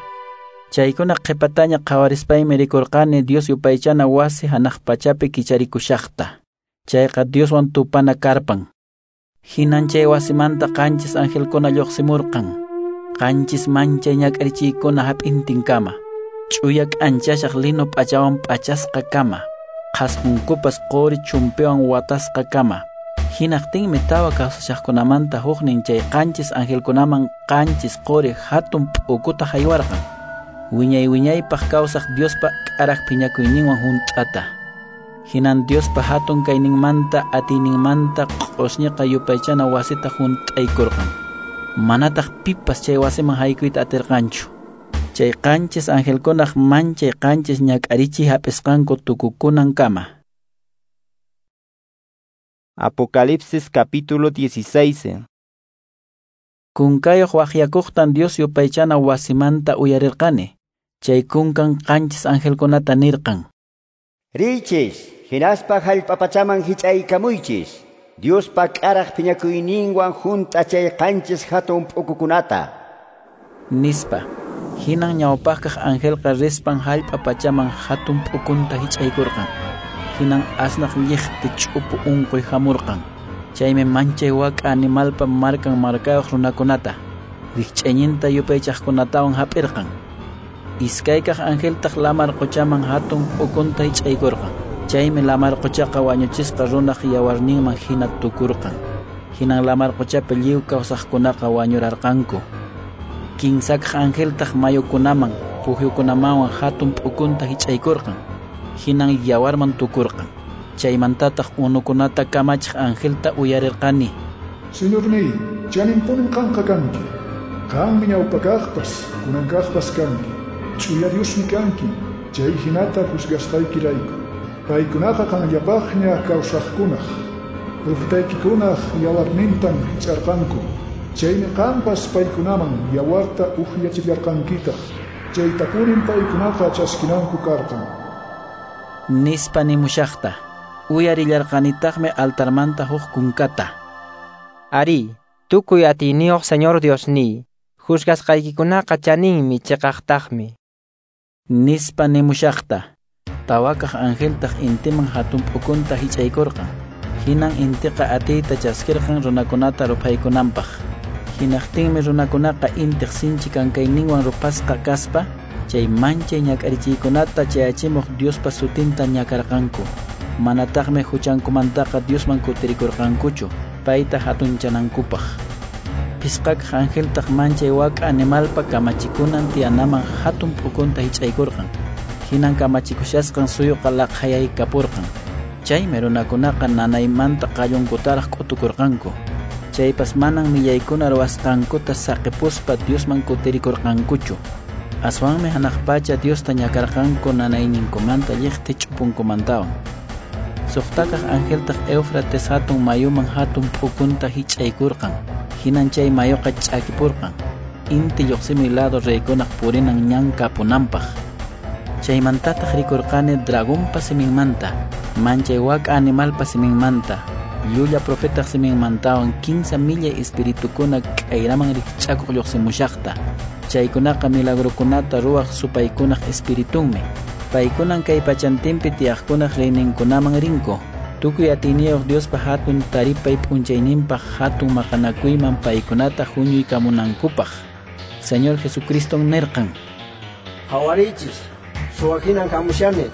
Chaykuna qhipataña qhawarispaymi rikurqani Dios yupaychana wasi hanaq pachapi kicharikushaqta. Chayqa Dioswan tupana karpan. Hinan chay wasimanta qanchis angelkuna lluqsimurqan. Qanchis manchay ñak'arichiykuna hap'intinkama. Ch'uya k'anchashaq lino p'achawan p'achasqa kama. Qhasqunkupas quri chumpiwan watasqa kama. Hinaqtinmi tawa kawsashaqkunamanta huknin chay qanchis angelkunaman qanchis quri hatun p'ukuta haywarqan. Wiñay wiñaypaq kawsaq Diospa k'araq phiñakuyninwan hunt'ata. Hinan Diospa hatun kayninmanta atiyninmanta q'usñiqa yupaychana wasita hunt'aykurqan. Manataq pipas chay wasiman haykuyta atirqanchu. Chay qanchis angelkunaq manchay qanchis ñak'arichiy hap'isqanku tukukunankama. Apocalipsis capítulo dieciséis. Kunkayuq waqyakuqtan Dios yupaychana wasimanta uyarirqani. Chay kunkan qanchis angelkunata nirqan. Riychis, hinaspa hallp'a pachaman hich'aykamuychis. Diospa k'araq phiñakuyninwan hunt'a chay qanchis hatun p'ukukunata. Nispa. Hinan ñawpaqkaq angelqa rispan hallp'a pachaman hatun p'ukunta hich'aykurqan. Hinan asnaq lliqti ch'upu unquy hamurqan. Chaymi manchay wak'a animalpa markan markayuq runakunata, rikch'ayninta yupaychaqkunatawan hap'irqan. Iskaykaq angeltaq lamar quchaman hatun p'ukunta hich'aykurqan. Chaymi lamar quchaqa wañuchisqa runaq yawarninman hina tukurqan. Hinan lamar quchapi lliw kawsaqkunaqa wañurarqanku. Kinsakaq angeltaq mayukunaman, pukyukunamanwan hatun p'ukunta hich'aykurqan. Hinan yawarman tukurqan. Chaymantataq unukunata kamachiq angelta uyarirqani. Señorniy, chaninpunin qanqa kanki. Qanmi ñawpakaqpas, kunankaqpas kanki. Ch'uya Diosmi kanki, chay hinata juzgasqaykirayku. Paykunaqa qanllapaqña kawsaqkunaq, profetaykikunaq yawarnintan hich'arqanku. Chaymi qanpas paykunaman yawarta uhyachillarqankitaq. Chaytapunin paykunaqa chaskinanku karqan. Nispa nimushaqta. Uyarillarqanitaqmi altarmanta huk kunkata. Ari, tukuy atiyniyuq Señor Diosniy, juzgasqaykikunaqa chaninmi chiqaqtaqmi. Nispa nimushaqta. Tawakaq angeltaq intiman hatun p'ukunta hich'aykurqan. Hinan intiqa atiyta chaskirqan runakunata ruphaykunanpaq. Hinaqtinmi runakunaqa intiq sinchi kankayninwan ruphasqa kaspa, chay manchay ñak'arichiykunata chayachimuq Diospa sutinta ñakarqanku. Manataqmi huchankumantaqa Diosman kutirikurqankuchu, payta hatunchanankupaq. Phisqakaq angeltaq manchay wak'a animalpa kamachikunan tiyanaman hatun p'ukunta hich'aykurqan. Hinan kamachikushasqan suyuqa laqhayaykapurqan. Chaymi runakunaqa nanaymanta qallunkutaraq k'utukurqanku. Chaypas manan millaykuna ruwasqankuta saqipuspa Diosman kutirikurqankuchu. Aswanmi hanaq pacha Diosta ñakarqanku nanayninkumanta lliqti ch'upunkumantawan. Suqtakaq angeltaq Éufrates hatun mayuman hatun p'ukunta hich'aykurqan. Hinan chay mayuqa ch'akipurqan. Inti lluqsimuy lado reykunaq purinan ñan kapunanpaq. Chaymantataq rikurqani dragonpa siminmanta, manchay wak'a animalpa siminmanta, llulla profetaq siminmantawan kinsa millay espiritukuna k'ayraman rikch'akuq lluqsimushaqta. Chaykunaqa milagrokunata ruwaq supaykunaq espiritunmi. Paykunan kay pachantinpi tiyaqkunaq reyninkunaman rinku. Tukuy atiyniyuq Diospa hatun taripay p'unchayninpaq hatun maqanakuyman paykunata huñuykamunankupaq. Señor Jesucriston nirqan: Qhawariychis, suwa hinan hamushani,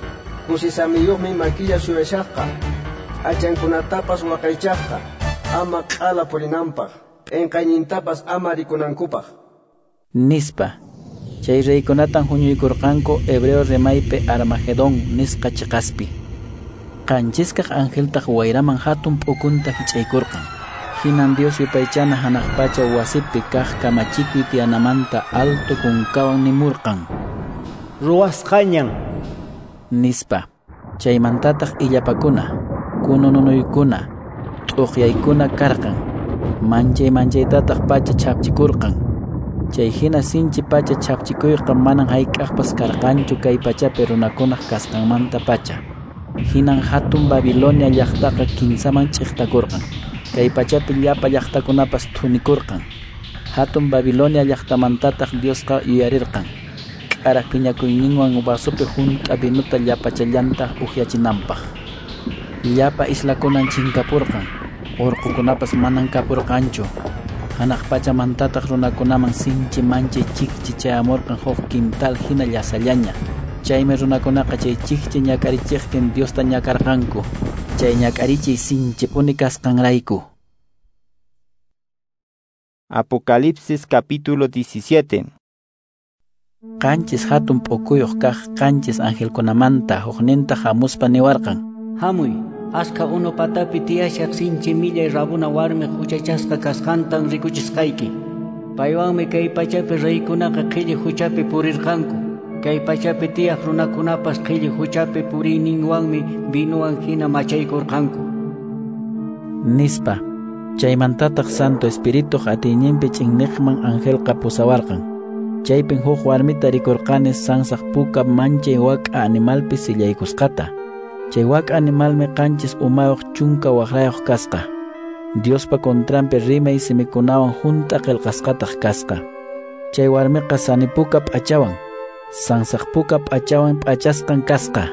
kusisamiyuqmi makilla suyashaqqa, p'achankunatapas waqaychaqqa, ama q'ala purinanpaq, p'inqaynintapas ama rikunankupaq. Nispa. Chay reykunatan huñuykurqanku hebreo rimaypi Armagedón nisqa chiqaspi. Qanchiskaq angeltaq wayraman hatun p'ukunta hich'aykurqan. Hinan Dios yupaychana hanaq pacha wasipi kaq kamachikuy tiyanamanta alto kunkawan nimurqan: Ruwasqañan, nispa. Chaymantataq illapakuna, kunununuykuna, t'uqyaykuna karqan. Manchay manchaytataq pacha chhapchikurqan. Chay hina sinchi pacha chhapchikuyqa manan hayk'aqpas karqanchu kay pachapi runakunaq kasqanmanta pacha. Hinan hatun Babilonia llaqtaqa kinsaman ch'iqtakurqan. Kay pachapi llapa llaqtakunapas thunikurqan. Hatun Babilonia llaqtamantataq Diosqa yuyarirqan. K'araq phiñakuyninwan vasopi hunt'a vinuta llapachallanta uhyachinanpaq. Llapa islakunan chinkapurqan. Urqukunapas manan kapurqanchu. Hanaq pachamantataq runakunaman sinchi manchay chikchi chayamurqan huk quintal hina llasallaña. Chaymi runakunaqa chay chikchi ñak'arichiqtin Diosta ñakarqanku. Chay ñak'arichiy sinchipuni kasqanrayku. Apocalipsis capítulo diecisiete. Qanchis hatun p'ukuyuq kaq qanchis angelkunamanta hukninta hamuspa niwarqan: Hamuy, askha unu patapi tiyashaq sinchi millay rabuna warmiq huchachasqa kasqantan rikuchisqayki. Paywanmi kay pachapi reykunaqa qhilli huchapi purirqanku. Kay pachapi tiyaq runakunapas qhilli huchapi puriyninwanmi vinuwan hina machaykurqanku. Nispa. Chaymantataq Santo Espirituq atiyninpi ch'inniqman angelqa pusawarqan. Chaypin huk warmita rikurqani sansaq puka manchay wak'a animalpi sillaykusqata. Chay wak'a animalmi qanchis umayuq chunka waqrayuq kasqa. Diospa contranpi rimay simikunawan hunt'a qillqasqataq kasqa. Chay warmiqa sanipuka p'achawan, sansaqpuka p'achawan p'achasqan kasqa.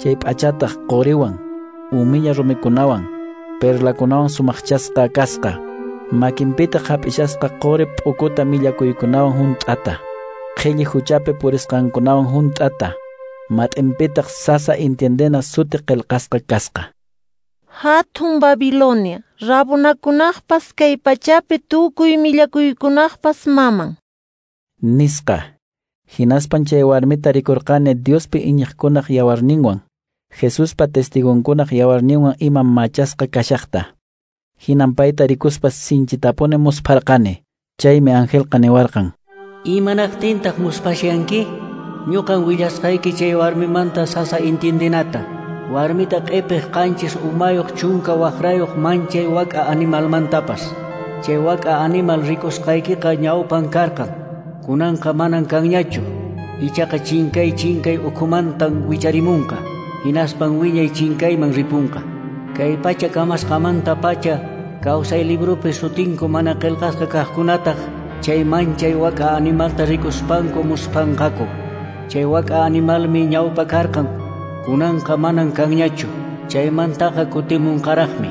Chay p'achataq quriwan, umiña rumikunawan, perlakunawan sumaqchasqa kasqa. Makinpitaq hap'ishasqa quri p'ukuta millakuykunawan hunt'ata, qhilli huchapi purisqankunawan hunt'ata. Mat'inpitaq sasa entiendena suti qillqasqa kasqa. Hatun Babilonia, rabunakunaqpas kay pachapi tukuy millakuykunaqpas maman. Nisqa. Hinaspan chay warmita rikurqani Diospi iñiqkunaq yawarninwan, Jesuspa testigonkunaq yawarninwan ima machasqa kashaqta. Hinan payta rikuspa sinchitapuni muspharqani. Chaymi angelqa niwarqan: Imanaqtintaq muspashanki? Ñuqan willasqayki chay warmimanta sasa entiendenata. Warmita q'ipiq qanchis umayuq chunka waqrayuq manchay wak'a animalmantapas. Chay wak'a animal rikusqaykiqa ñawpan karqan. Kunanqa manan kanñachu. Ichaqa chinkay chinkay ukhumantan wicharimunqa. Hinaspan wiñay chinkayman ripunqa. Kay pacha kamasqamanta pacha kawsay librupi sutinku mana qillqasqa kaqkunataq chay manchay wak'a animalta rikuspanku muspanqaku. Chay wak'a animalmi ñawpa karqan. Kunanqa manan kanñachu. Chaymantaqa kutimunqaraqmi.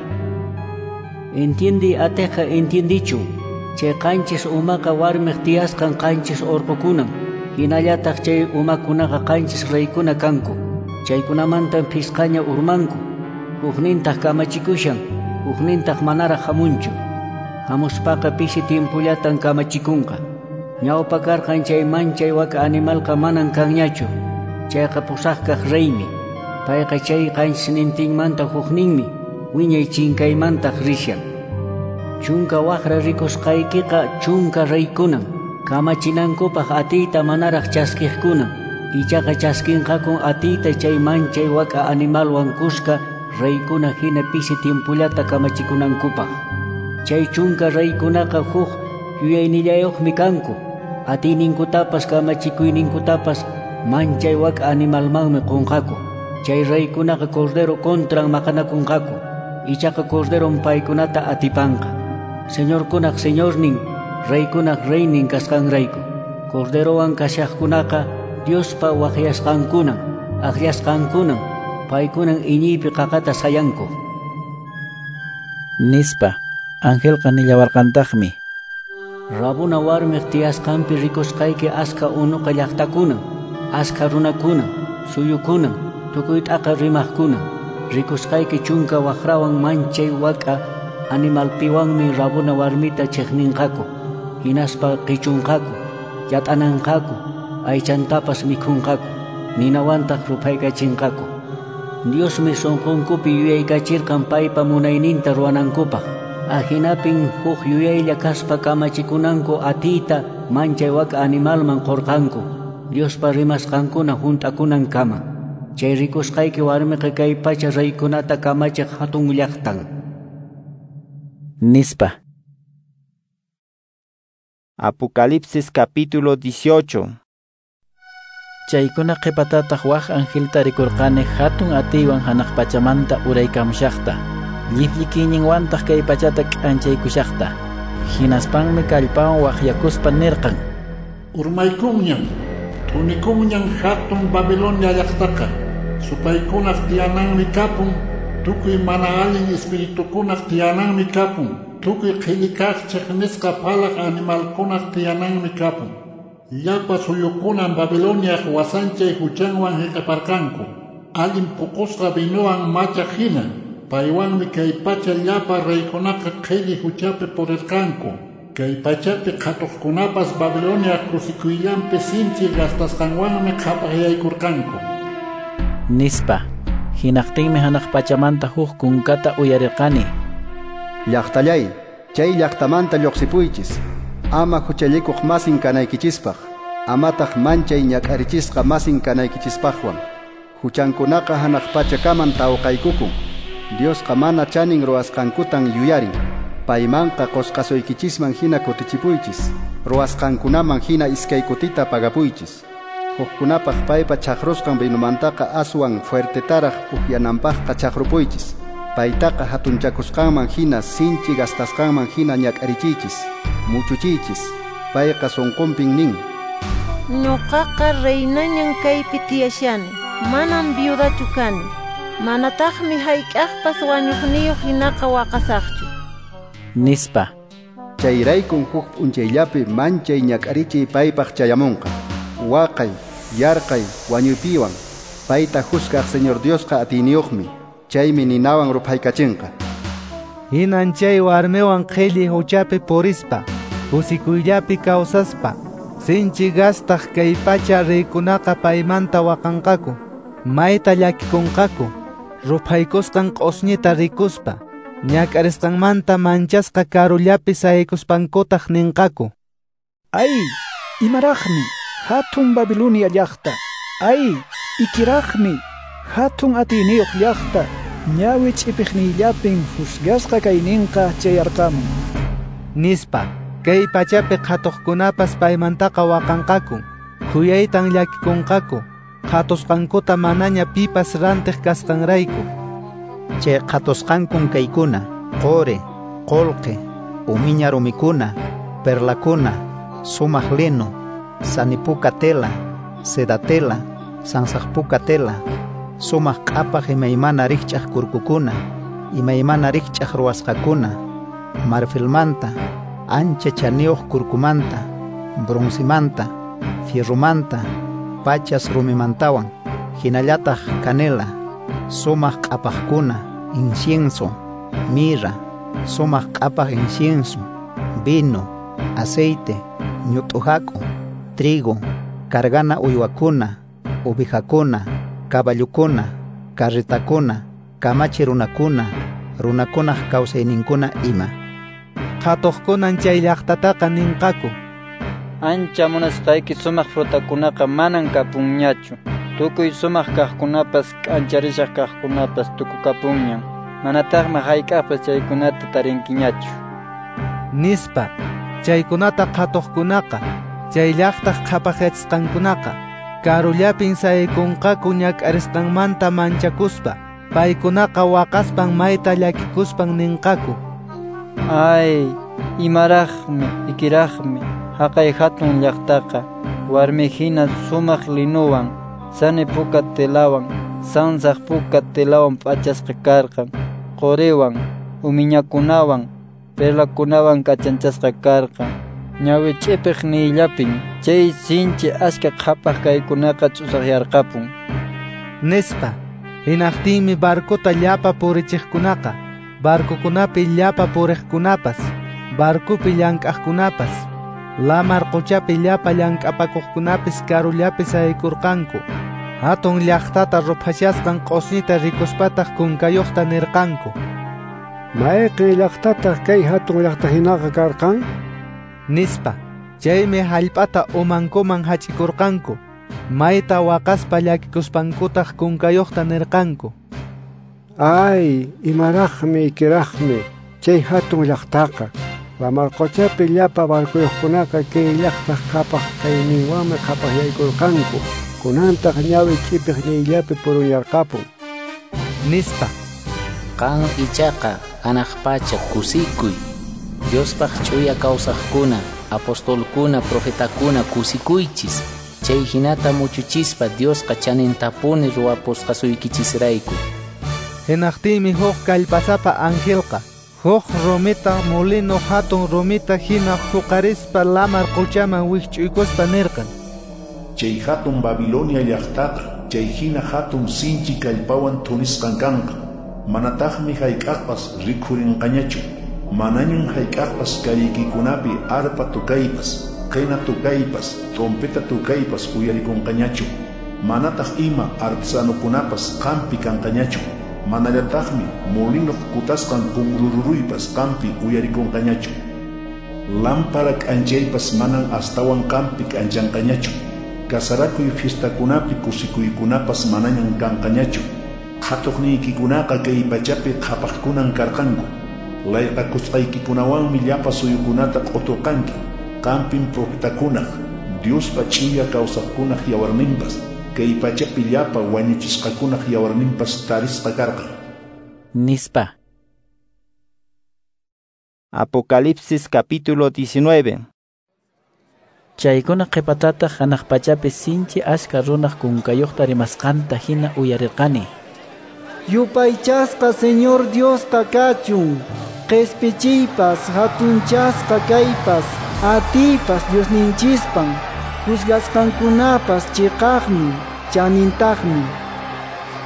Entiendi atiqqa entiendichu. Chay qanchis umaqa warmiq tiyasqan qanchis urqukunan. Hinallataq chay umakunaqa qanchis reykuna kanku. Chaykunamantan phisqaña urmanku. Huknintaq kamachikushan, huknintaq manaraq hamunchu. Hamuspaqa pisi tiempollatan kamachikunqa. Ñawpa karqan chay manchay wak'a animalqa manan kanñachu. Chayqa pusaqkaq reymi. Payqa chay qanchisnintinmanta hukninmi, wiñay chinkaymantaq rishan. Chunka waqra rikusqaykiqa chunka reykunan, kamachinankupaq atiyta manaraq chaskiqkunan. Ichaqa chaskinqakun atiyta chay manchay wak'a animalwan kuska reykuna hina pisi tiempollata kamachikunankupaq. Chay chunka reykunaqa huk yuyaynillayuqmi kanku. Atiyninkutapas kamachikuyninkutapas manchay wak'a animalmanmi qunqaku. Chay reykunaqa cordero contran maqanakunqaku. Ichaqa corderon paykunata atipanqa. Señorkunaq señornin, reykunaq reynin kasqanrayku. Corderowan kashaqkunaqa Diospa waqyasqankunan, aqllasqankunan, paykunan iñiypi qaqata sayanku. Nispa, angelqa nillawarqantaqmi: Rabuna warmiq tiyasqanpi rikusqayki askha unuqa llaqtakunan, askha runakunan, suyukunan, tukuy t'aqa rimaqkunan. Rikusqayki chunka waqrawan manchay wak'a animalpiwanmi rabuna warmita chiqninqaku, hinaspa qichunqaku, yat'ananqaku, aychantapas mikhunqaku, ninawantaq ruphaykachinqaku. Diosmi sunqunkupi yuyaykachirqan paypa munayninta ruwanankupaq. Ahinapin huk yuyaylla kaspa kamachikunanku atiyta manchay wak'a animalman qurqanku, Diospa rimasqankuna hunt'akunankama. Chay rikusqayki warmiqa kay pacha reykunata kamachiq hatun llaqtan. Nispa. Apocalipsis capítulo dieciocho. Chaykuna qhipatataq wak angelta rikurqani hatun atiywan hanaq pachamanta uraykamushaqta. Llifllikiyninwantaq kay pachata k'anchaykushaqta. Hinaspanmi kallpawan waqyakuspa nirqan: Urmaykunñan, thunikunñan hatun Babilonia llaqtaqa. Supaykunaq tiyananmi kapun, tukuy mana allin espiritukunaq tiyananmi kapun, tukuy qhilli kaq chiqnisqa phalaq animalkunaq tiyananmi kapun. Llapa suyukunan Babiloniaq wasanchay huchanwan hiqaparqanku, allin puqusqa vinowan machaq hina. Paywanmi kay pacha llapa reykunaqa qhilli huchapi purirqanku. Kay pachapi qhatuqkunapas Babiloniaq kusikuyllanpi sinchi gastasqanwanmi qhapaqyaykurqanku. Nispa. Hinaqtinmi hanaq pachamanta huk kunkata uyarirqani: Llaqtallay, chay llaqtamanta lluqsipuychis, ama huchallikuq masin kanaykichispaq, amataq manchay ñak'arichisqa masin kanaykichispaqwan. Huchankunaqa hanaq pachakaman tawqaykukun. Diosqa mana chanin ruwasqankutan yuyarin. Paymanqa qusqasuykichisman hina kutichipuychis, ruwasqankunaman hina iskay kutita pagapuychis. Hukkunapaq paypa chaqrusqan vinomantaqa aswan fuertetaraq upyananpaqqa chaqrupuychis. Paytaqa hatunchakusqanman hina sinchi gastasqanman hina ñak'arichiychis, muchuchiychis. Payqa sunqunpin nin: Ñuqaqa reinañan kaypi tiyashani, manam viudachu kani. Manataqmi hayk'aqpas wañuqniyuq hinaqa waqasaqchu, nispa. Chayraykun huk p'unchayllapi manchay ñak'arichiy paypaq chayamunqa. Waqay, yarqay, wañuypiwan. Payta juzgaq Señor Diosqa atiyniyuqmi. Chaymi ninawan ruphaykachinqa. Hinan chay warmiwan qhilli huchapi purispa, kusikuyllapi kawsaspa, sinchi gastaq kay pacha reykunaqa paymanta waqanqaku, mayta llakikunqaku, ruphaykusqan q'osñita rikuspa, ñak'arisqanmanta manchasqa karullapi saykuspankutaq ninqaku: Ay, imaraqmi, hatun Babilonia llaqta. Ay, ikiraqmi, hatun atiyniyuq llaqta. Ñawi ch'ipiqniyllapin juzgasqa kayninqa chayarqamun, nispa. Kay pachapi qhatuqkunapas paymantaqa waqanqaku, khuyaytan llakikunqaku, qhatusqankuta manaña pipas rantiq kasqanrayku. Chay qhatusqankun kaykuna: qori, qolqe, umiña rumikuna, perlakuna, sumaq lino, sanipuka tela, seda tela, sansaqpuka tela, sumaq q'apaq imaymana rikch'aq kurkukuna, imaymana rikch'aq ruwasqakuna, marfilmanta, ancha chaniyuq kurkumanta, broncemanta, fierromanta, pachas rumimantawan, hinallataq canela, sumaq q'apaqkuna, incienso, mirra, sumaq q'apaq incienso, vino, aceite, ñut'u hak'u, trigo, cargana uywakuna, ovejakuna, caballukuna, carretakuna, kamachi runakuna, runakunaq kawsayninkuna ima. Qhatuqkunan chay llaqtataqa ninqaku: Ancha munasqayki sumaq frutakunaqa manan kapunñachu. Tukuy sumaq kaqkunapas k'ancharishaq kaqkunapas tukukapunñan. Manataqmi hayk'aqpas chaykunata tarinkiñachu, nispa. Chaykunata qhatuqkunaqa, chay llaqtaq qhapaqyachisqankunaqa, karullapin saykunqaku ñak'arisqanmanta manchakuspa. Paykunaqa waqaspan mayta llakikuspan ninqaku: Ay, imaraqmi, ikiraqmi, haqay hatun llaqtaqa, warmi hina sumaq linuwan, sani puka telawan, sansaq puka telawan p'achasqa karqan, qoriwan, umiñakunawan, perlakunawan k'achanchasqa karqan. Ñawi ch'ipiq niyllapin chay sinchi achka qhapaq kaykunaqa ch'usaqyarqapun, nispa. Hinaqtinmi barcota llapa purichiqkunaqa, barcokunapi llapa puriqkunapas, barcopi llank'aqkunapas, lamar quchapi llapa llank'apakuqkunapis karullapi saykurqanku. Hatun llaqtata ruphashasqan q'osñita rikuspataq kunkayuqta nirqanku: Mayqin llaqtataq kay hatun llaqta hinaqa karqan? nispa. Chaymi hallp'ata umankuman hach'ikurqanku. Mayta waqaspa llakikuspankutaq kunkayuqta nirqanku: Ay, imaraqmi, ikiraqmi, chay hatun llaqtaqa. Lamar quchapi llapa barcuyuqkunaqa kay llaqtaq qhapaq kayninwanmi qhapaqyaykurqanku. Kunantaq ñawi ch'ipiq niyllapi purunyarqapun, nispa. Qan ichaqa hanaq pacha kusikuy. Diospaq ch'uya kawsaqkuna, apostolkuna, profetakuna kusikuychis. Chay hinata muchuchispa Diosqa chanintapuni ruwapusqasuykichisrayku. Hinaqtinmi huk kallpasapa angelqa huk rumita molino hatun rumita hina huqarispa lamar quchaman wikch'uykuspa nirqan: Chay hatun Babilonia llaqtaqa chay hina hatun sinchi kallpawan thunisqan kanqa. Manataqmi hayk'aqpas rikhurinqañachu. Manañan hayk'aqpas calleykikunapi arpa tukaypas, qena tukaypas, trompeta tukaypas uyarikunqañachu. Manataq ima artesanukunapas qampi kanqañachu. Manallataqmi molinoq kutasqan kunrururuypas qampi uyarikunqañachu. Lámpara k'anchaypas manan astawan qampi k'anchanqañachu. Kasarakuy fiestakunapi kusikuykunapas manañan kanqañachu. Qhatuqniykikunaqa kay pachapi qhapaqkunan karqanku. Layqakusqaykikunawanmi llapa suyukunata q'uturqanki. Qampin profetakunaq, Diospa ch'uya kawsaqkunaq yawarninpas, kay pachapi llapa wañuchisqakunaq yawarninpas tarisqa karqan. Nispa. Apocalipsis capítulo diecinueve. Chaykuna qhipatataq hanaq pachapi sinchi achka runaq kunkayuqta rimasqanta hina uyarirqani. Yupaychasqa Señor Diosqa kachun, qhispichiypas, hatunchasqa kaypas, atiypas Diosninchispan, juzgasqankunapas chiqaqmi, chanintaqmi.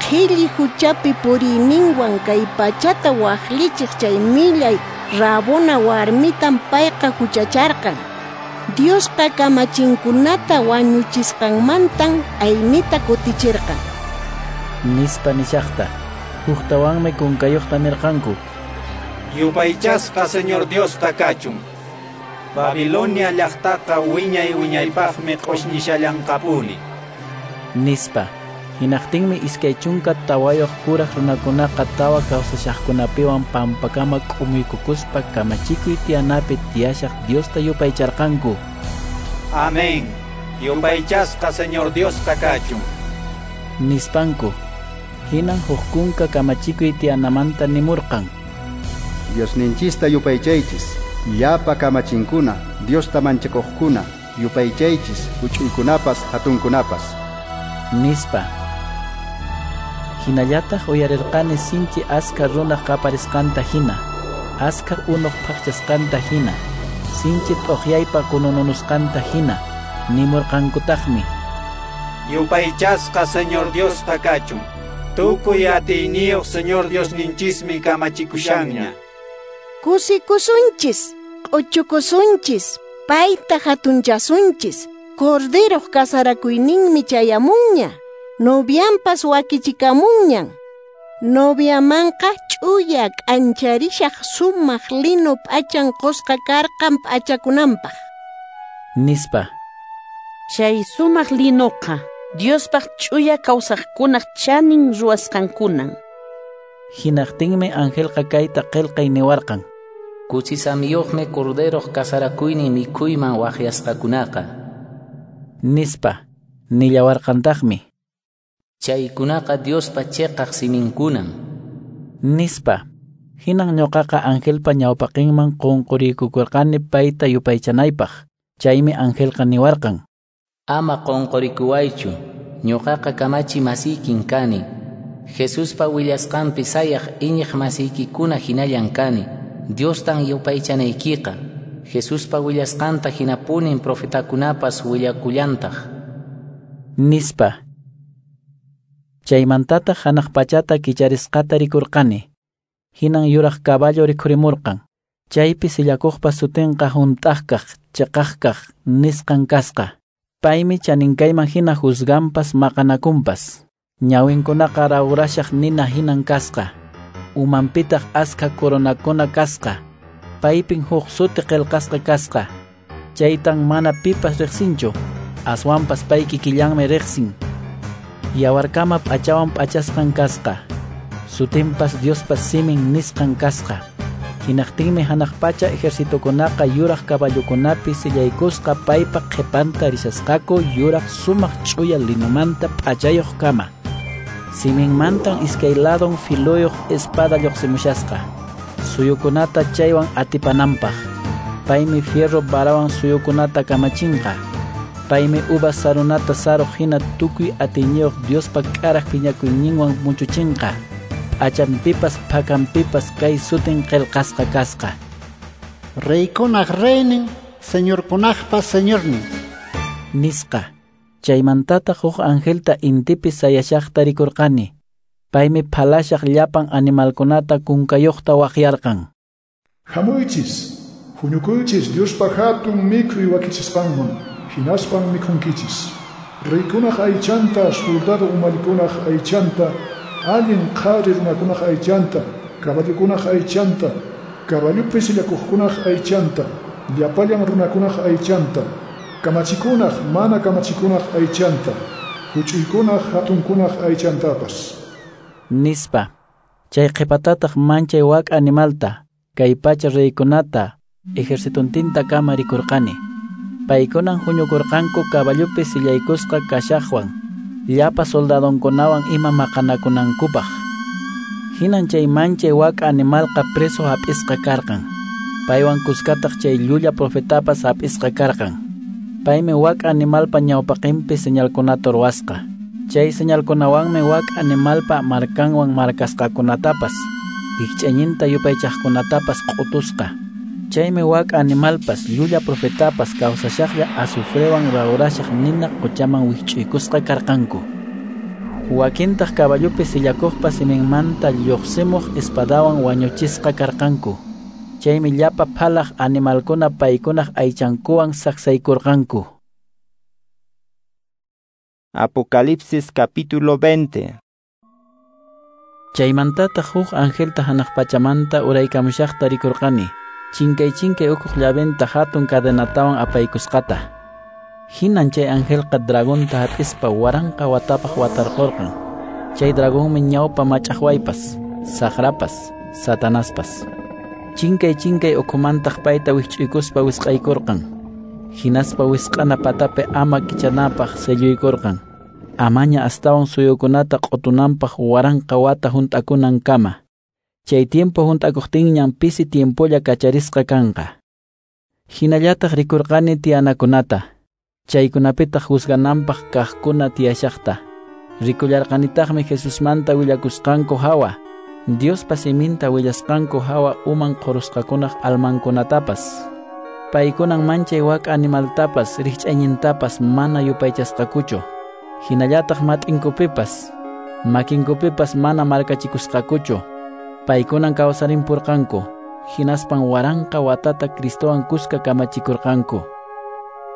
Qhilli huchapi puriyninwan kay pachata waqlichiq chay millay rabona warmitan payqa huchacharqan. Diosqa kamachinkunata wañuchisqanmantan aynita kutichirqan. Nispa nishaqta, huktawanmi kunkayuqta nirqanku. Yupaychasqa Señor Diosta kachun. Babilonia llaqtaqa wiñay wiñaypaqmi q'ushñishallanqapuni. Nispa. Hinaqtinmi iskay chunka tawayuq kuraq runakunaqa tawa kawsashaqkunapiwan pampakama k'umuykukuspa kamachikuy tiyanapi tiyashaq Diosta yupaycharqanku. Amén. Yupaychasqa Señor Diosta kachun. Nispanku. Hinan huk kunka kamachikuy tiyanamanta nimurqan. Diosninchista yupaychaychis, llapa kamachinkuna, Diosta manchakuqkuna, yupaychaychis, huch'uykunapas, hatunkunapas. Nispa. Hinallataq uyarirqani sinchi askha runaq qaparisqanta hina, askha unuq phaqchasqanta hina, sinchi t'uqyaypa kunununusqanta hina, nimurqankutaqmi. Yupaychasqa Señor Diosta kachun. Tukuy atiyniyuq Señor Diosninchismi kamachikushanña. Kusikusunchis, q'uchukusunchis, payta hatunchasunchis. Corderoq kasarakuyninmi chayamunña, novianpas wakichikamunñan. Noviamanqa ch'uya k'ancharishaq sumaq lino p'achan qusqa karqan p'achakunanpaq. Nispa. Chay sumaq linoqa Diospaq ch'uya kawsaqkunaq chanin ruwasqankunan. Hinaqtinmi angelqa kayta qillqay niwarqan. Kuchisamiyuqmi corderoq kasarakuynin mikhuyman waqyasqakunaqa. Nispa. Nillawarqantaqmi. Chaykunaqa Diospa chiqaq siminkunan. Nispa. Hinan ñuqaqa angelpa ñawpaqinman qunquriykukurqani payta yupaychanaypaq. Chaymi angelqa niwarqan. Ama qunqurikuwaychu, ñuqaqa kamachi masiykin kani. Jesuspa willasqanpi sayaq iñiq masiykikuna hinallan kani. Diostan yupaychanaykiqa. Jesuspa willasqanta hinapunin profetakunapas willakullantaq. Nispa. Chaymantataq hanaq pachata kicharisqata rikurqani. Hinan yuraq caballo rikhurimurqan. Chaypi sillakuqpa sutinqa hunt'aqkaq, chiqaqkaq nisqan kasqa. Paymi chaninkayman hina juzganpas maqanakunpas. Ñawinkunaqa rawrashaq nina hinan kasqa. Umanpitaq askha coronakuna kasqa. Paypin huk suti qillqasqa kasqa. Chaytan mana pipas riqsinchu, aswanpas pay kikillanmi riqsin. Yawarkama p'achawan p'achasqan kasqa. Sutinpas Diospa simin nisqan kasqa. Hinaqtinmi hanaq pacha ejercitokunaqa yuraq caballokunapi sillaykusqa paypa qhipanta rishasqaku yuraq sumaq ch'uya linomanta p'achayuq kama. Siminmantan iskay ladon filoyuq espada lluqsimushasqa. Suyukunata chaywan atipananpaq. Paymi fierro varawan suyukunata kamachinqa. Paymi uvas sarunata saruq hina tukuy atiyniyuq Diospa k'araq phiñakuyninwan muchuchinqa. P'achanpipas phakanpipas kay sutin qillqasqa kasqa. Reykunaq reynin, señorkunaqpas señornin. Nisqa. Chaymantataq huk angelta intipi sayashaqta rikurqani. Paymi phalashaq llapan animalkunata kunkayuqta waqyarqan. Hamuychis, huñukuychis Diospa hatun mikhuy wakichisqanman, hinaspan mikhunkichis. Reykunaq aychanta, soldado umallikunaq aychanta, allin qhari runakunaq aychanta, caballokunaq aychanta, caballopi sillakuqkunaq aychanta, llapallan runakunaq aychanta, kamachikunaq mana kamachikunaq aychanta, huch'uykunaq hatunkunaq aychantapas. Nispa. Chay qhipatataq manchay wak animalta, kay pacha reykunata, ejercitontinta kama rikurqani. Paykunan huñukurqanku caballopi sillaykusqa kashaqwan, llapa soldadonkunawan ima maqanakunankupaq. Hinan chay manchay wak'a animalqa preso hap'isqa karqan. Paywan kuskataq chay llulla profetapas hap'isqa karqan. Paymi wak'a animalpa ñawpaqinpi señalkunata ruwasqa. Chay señalkunawanmi wak'a animalpa markanwan markasqakunatapas, rikch'ayninta yupaychaqkunatapas q'utusqa. Chaymi wak'a animalpas llulla profetapas kawsashaqlla azufrewan rawrashaq nina quchaman wikch'uykusqa karqanku. Wakintaq caballopi sillakuqpa siminmanta lluqsimuq espadawan wañuchisqa karqanku. Chaymi llapa phalaq animalkuna paykunaq aychankuwan saksaykurqanku. Apocalipsis capítulo veinte. Chaymantataq huk angelta hanaq pachamanta uraykamushaqta rikurqani. Chinkay chinkay ukhuq llaventa hatun cadenatawan apaykusqata. Hinan chay angelqa dragonta hap'ispa waranqa watapaq watarqurqan. Chay dragonmi ñawpa mach'aqwaypas, saqrapas, satanaspas. Chinkay chinkay ukhumantaq payta wikch'uykuspa wisq'aykurqan. Hinaspa wisq'ana patapi ama kichanapaq selluykurqan. Amaña astawan suyukunata q'utunanpaq waranqa wata hunt'akunankama. Chay tiempo hunt'akuqtinñan pisi tiempolla kacharisqa kanqa. Hinallataq rikurqani tiyanakunata. Chaykunapitaq juzgananpaq kaqkuna tiyashaqta. Rikullarqanitaqmi Jesusmanta willakusqanku hawa, Diospa siminta willasqanku hawa uman qurusqakunaq almankunatapas. Paykunan manchay wak'a animaltapas rikch'aynintapas mana yupaychasqakuchu. Hinallataq mat'inkupipas, makinkupipas mana markachikusqakuchu. Paykunan kawsarimpurqanku, hinaspan waranqa watata Cristowan kuska kamachikurqanku.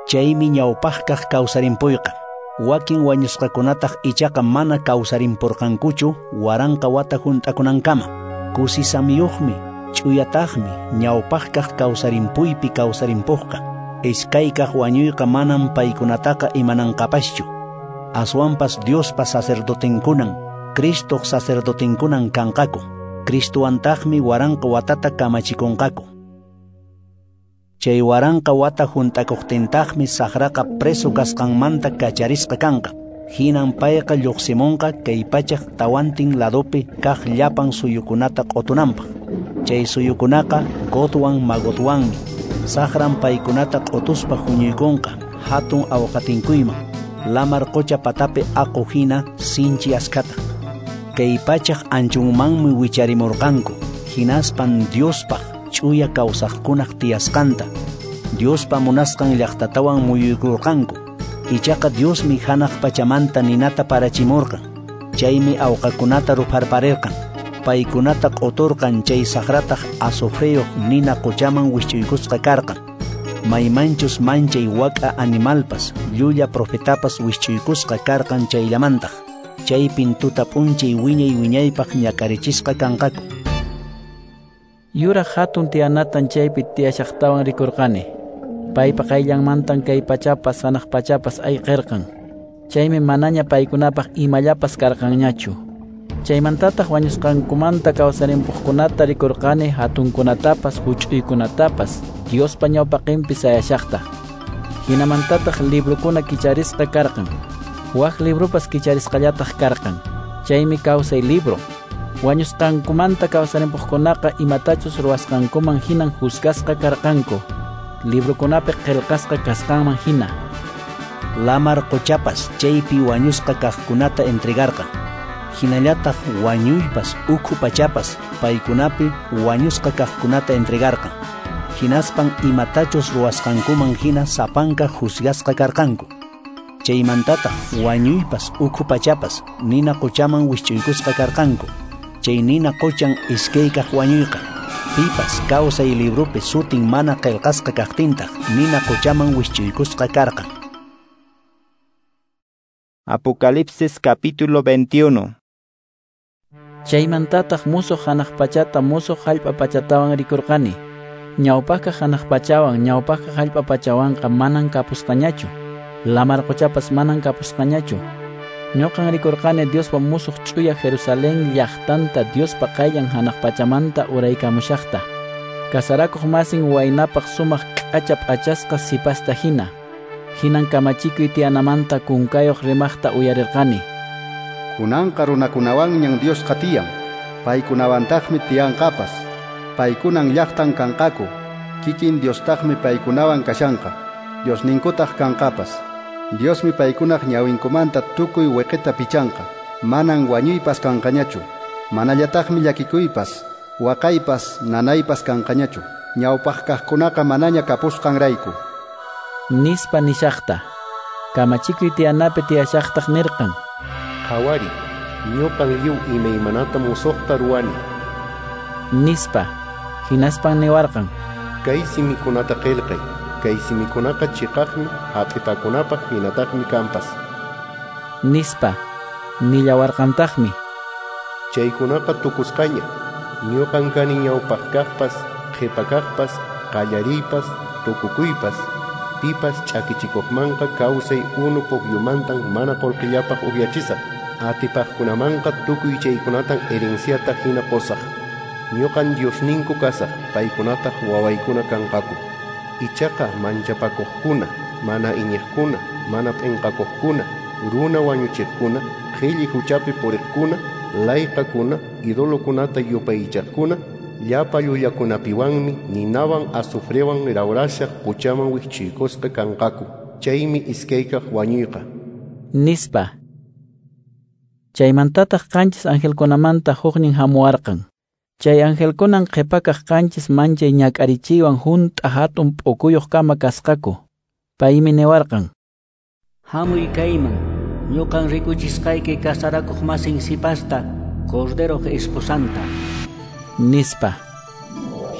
Chaymi ñawpaqkaq kawsarimpuyqa. Wakin wañusqakunataq ichaqa mana kawsarimpurqankuchu waranqa wata hunt'akunankama. Kusisamiyuqmi, ch'uyataqmi ñawpaqkaq kawsarimpuypi kawsarimpuqqa. Iskaykaq wañuyqa manam paykunataqa imananqapaschu. Aswanpas Diospa sacerdotenkunan, Cristoq sacerdotenkunan kanqaku. Cristoantaqmi waranqa watata kamachikunqaku. Chay waranqa wata hunt'akuqtintaqmi saqraqa preso kasqanmanta kacharisqa kanqa. Hinan payqa lluqsimunqa kay pachaq tawantin ladopi kaq llapan suyukunata q'utunanpaq. Chay suyukunaqa Gogwan Magogwanmi. Saqran paykunata q'utuspa huñuykunqa hatun awqatinkuyman, lamar qucha patapi aqu hina sinchi askhata. Kay pachaq anchunmanmi wicharimurqanku, hinaspan Diospaq ch'uya kawsaqkunaq tiyasqanta, Diospa munasqan llaqtatawan muyuykurqanku. Ichaqa Diosmi hanaq pachamanta ninata parachimurqan. Chaymi awqakunata rupharparirqan. Paykunata q'uturqan chay saqrataq azufreyuq nina quchaman wisch'uykusqa karqan. Maymanchus manchay wak'a animalpas, llulla profetapas wisch'uykusqa karqan chayllamantaq. Chaypin tuta p'unchay wiñay wiñaypaq ñak'arichisqa kanqaku. Yuraq hatun tiyanatan chaypi tiyashaqtawan rikurqani. Paypa qayllanmantan kay pachapas hanaq pachapas ayqirqan. Chaymi manaña paykunapaq imallapas karqanñachu. Chaymantataq wañusqankumanta kawsarimpuqkunata rikurqani hatunkunatapas huch'uykunatapas Diospa ñawpaqinpi sayashaqta. Hinamantataq librukuna kicharisqa karqan. Wak librupas kicharisqallataq karqan. Chaymi kawsay libro. Wañusqankumanta kawsarimpuqkunaqa imatachus ruwasqankuman hinan juzgasqa karqanku. Librukunapi qillqasqa kasqanman hina. Lamar quchapas chaypi wañusqa kaqkunata entregarqan. Hinallataq wañuypas ukhu pachapas paykunapi wañusqa kaqkunata entregarqan. Hinaspan imatachus ruwasqankuman hina sapanka juzgasqa karqanku. Chaymantataq wañuypas ukhu pachapas nina quchaman wisch'uykusqa karqanku. Chay nina quchan iskaykaq wañuyqa. Pipas kawsay librupi sutin mana qillqasqa kaqtintaq nina quchaman wisch'uykusqa karqan. Apocalipsis capítulo veintiuno. Chaymantataq musuq hanaq pachata musuq hallp'a pachatawan rikurqani. Ñawpaqqa hanaq pachawan ñawpaqqa hallp'a pachawanqa manan kapusqañachu. Lamar quchapas manan kapusqañachu. Ñuqan rikurqani Diospa musuq ch'uya Jerusalén llaqtanta Diospa qayllan hanaq pachamanta uraykamushaqta. Kasarakuq masin waynapaq sumaq k'acha p'achasqa sipasta hina. Hinan kamachikuy tiyanamanta kunkayuq rimaqta uyarirqani. Kunanqa runakunawanñan Diosqa tiyan. Paykunawantaqmi tiyanqapas. Paykunan llaqtan kanqaku. Kikin Diostaqmi paykunawan kashanqa. Diosninkutaq kanqapas. Diosmi paykunaq ñawinkumanta tukuy wiqita pichanqa. Manan wañuypas kanqañachu. Manallataqmi llakikuypas, waqaypas, nanaypas kanqañachu. Ñawpaq kaqkunaqa manaña kapusqanrayku. Nispa nishaqta. Kamachikuy tiyanapi tiyashaqtaq nirqan. Qhawari, ñuqan lliw imaymanata musuqta ruwani. Nispa. Hinaspan niwarqan. Kay simikunata qillqay. Kay simikunaqa chiqaqmi, hap'ipakunapaq hinataqmi kanpas. Nispa. Nillawarqantaqmi. Chaykunaqa tukusqaña. Ñuqan kani ñawpaq kaqpas, qhipa kaqpas, qallariypas, tukukuypas. Pipas ch'akichikuqmanqa kawsay unu pukyumantan mana qullqillapaq upyachisaq. Atipaqkunamanqa tukuy chaykunatan herenciata hina qusaq. Ñuqan Diosninku kasaq, paykunataq wawaykuna kanqaku. Ichaqa manchapakuqkuna, mana iñiqkuna, mana p'inqakuqkuna, runa wañuchiqkuna, qhilli huchapi puriqkuna, layqakuna, idolokunata yupaychaqkuna, llapa llullakunapiwanmi ninawan azufrewan rawrashaq quchaman wikchuykusqa kanqaku. Chaymi iskaykaq wañuyqa. Nispa. Chaymantataq qanchis angelkunamanta huknin hamuwarqan. Chay angelkunan qhipakaq qanchis manchay ñak'arichiywan hunt'a hatun p'ukuyuq kama kasqaku. Paymi niwarqan. Hamuy kayman, ñuqan rikuchisqayki kasarakuq masin sipasta, Corderoq esposanta. Nispa.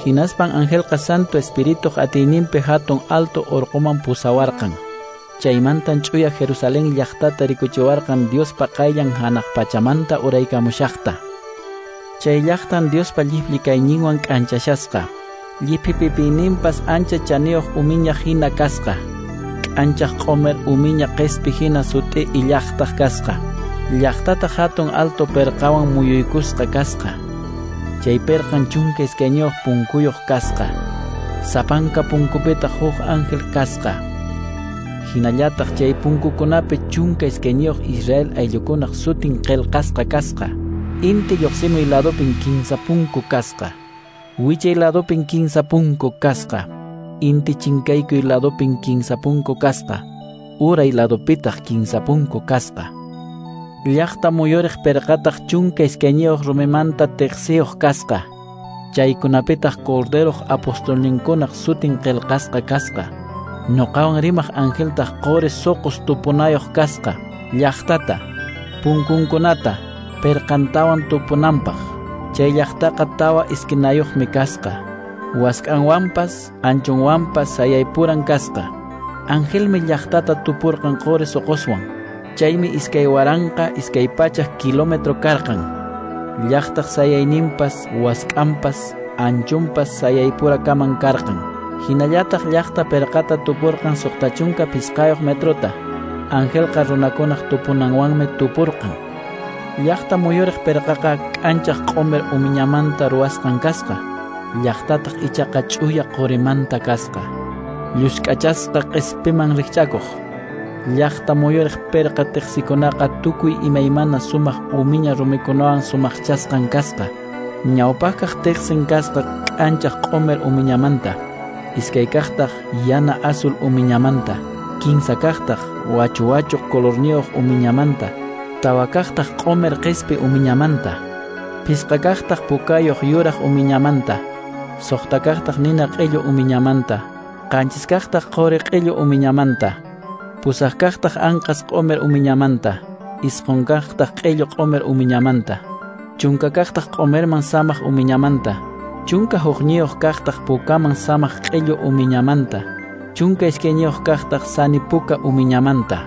Hinaspan angelqa Santo Espirituq atiyninpi hatun alto urquman pusawarqan. Chaymantan ch'uya Jerusalén llaqtata rikuchiwarqan Diospa qayllan hanaq pachamanta uraykamushaqta. Chay llaqtan Diospa llipli kayninwan k'anchashasqa. Lliphipipiyninpas ancha chaniyuq umiña hina kasqa. K'anchaq q'umir umiña qispi hina sut'i illaqtaq kasqa. Llaqtataq hatun alto perqawan muyuykusqa kasqa. Chay perqan chunka iskayniyuq punkuyuq kasqa. Sapanka punkupitaq huk ángel kasqa. Hinallataq chay punkukunapi chunka iskayniyuq Israel ayllukunaq sutin qillqasqa kasqa. Inti lluqsimuy ladupin kinsa punku kasqa. Wichay ladupin kinsa punku kasqa. Inti chinkaykuy ladupin kinsa punku kasqa. Uray ladupitaq kinsa punku kasqa. Llaqta muyuriq perqataq chunka iskayniyuq rumimanta tiqsiyuq kasqa. Chaykunapitaq Corderoq apostolninkunaq sutin qillqasqa kasqa. Ñuqawan rimaq angeltaq quri suqus tupunayuq kasqa. Llaqtata, punkunkunata, perqantawan tupunanpaq. Chay llaqtaqa tawa iskinayuqmi kasqa. Wask'anwanpas, anchunwanpas sayaypuran kasqa. Angelmi llaqtata tupurqan quri suquswan. Chaymi iskay waranqa iskay pachak kilómetro karqan. Llaqtaq sayayninpas, wask'anpas, anchunpas sayaypurakaman karqan. Hinallataq llaqta perqata tupurqan suqta chunka pisqayuq metrota. Angelqa runakunaq tupunanwanmi tupurqan. Llaqta muyuriq perqaqa k'anchaq q'umir umiñamanta ruwasqan kasqa. Llaqtataq ichaqa ch'uya qurimanta kasqa. Llusk'achasqa q'ispiman rikch'akuq. Llaqta muyuriq perqa tiqsikunaqa tukuy imaymana sumaq umiña rumikunawan sumaqchasqan kasqa. Ñawpaqkaq tiqsin kasqa k'anchaq q'umir umiñamanta. Iskay kaqtaq yana azul umiñamanta. Kinsa kaqtaq wachu wachu colorniyuq umiñamanta. Tawa kaqtaq q'umir qispi umiñamanta. Pisqa kaqtaq pukayuq yuraq umiñamanta. Suqta kaqtaq nina q'illu umiñamanta. Qanchis kaqtaq quri q'illu umiñamanta. Pusaq kaqtaq anqas q'umir umiñamanta. Isqun kaqtaq q'illu q'umir umiñamanta. Chunka kaqtaq q'umirman samaq umiñamanta. Chunka hukniyuq kaqtaq pukaman samaq q'illu umiñamanta. Chunka iskayniyuq kaqtaq sani puka umiñamanta.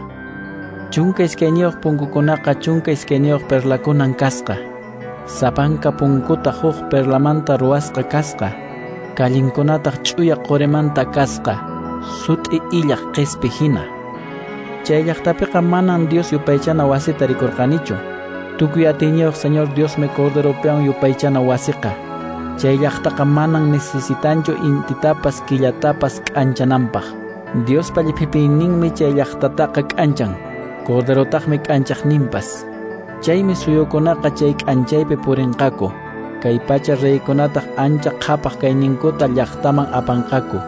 Chunka iskayniyuq punkukunaqa chunka iskayniyuq perlakunan kasqa. Sapanka punkutaq huk perlamanta ruwasqa kasqa. Kallinkunataq ch'uya qurimanta kasqa. Sut'i illaq qispi hina. Chay llaqtapiqa manan Dios yupaychana wasita rikurqanichu. Tukuy atiyniyuq Señor Diosmi Corderopiwan yupaychana wasiqa. Chay llaqtaqa manan necesitanchu intitapas killatapas k'anchananpaq. Diospa lliphipiyninmi chay llaqtataqa k'anchan. Corderotaqmi k'anchaqninpas. Chaymi suyukunaqa chay k'anchaypi purinqaku. Kay pacha reykunataq ancha qhapaq kayninkuta llaqtaman apanqaku.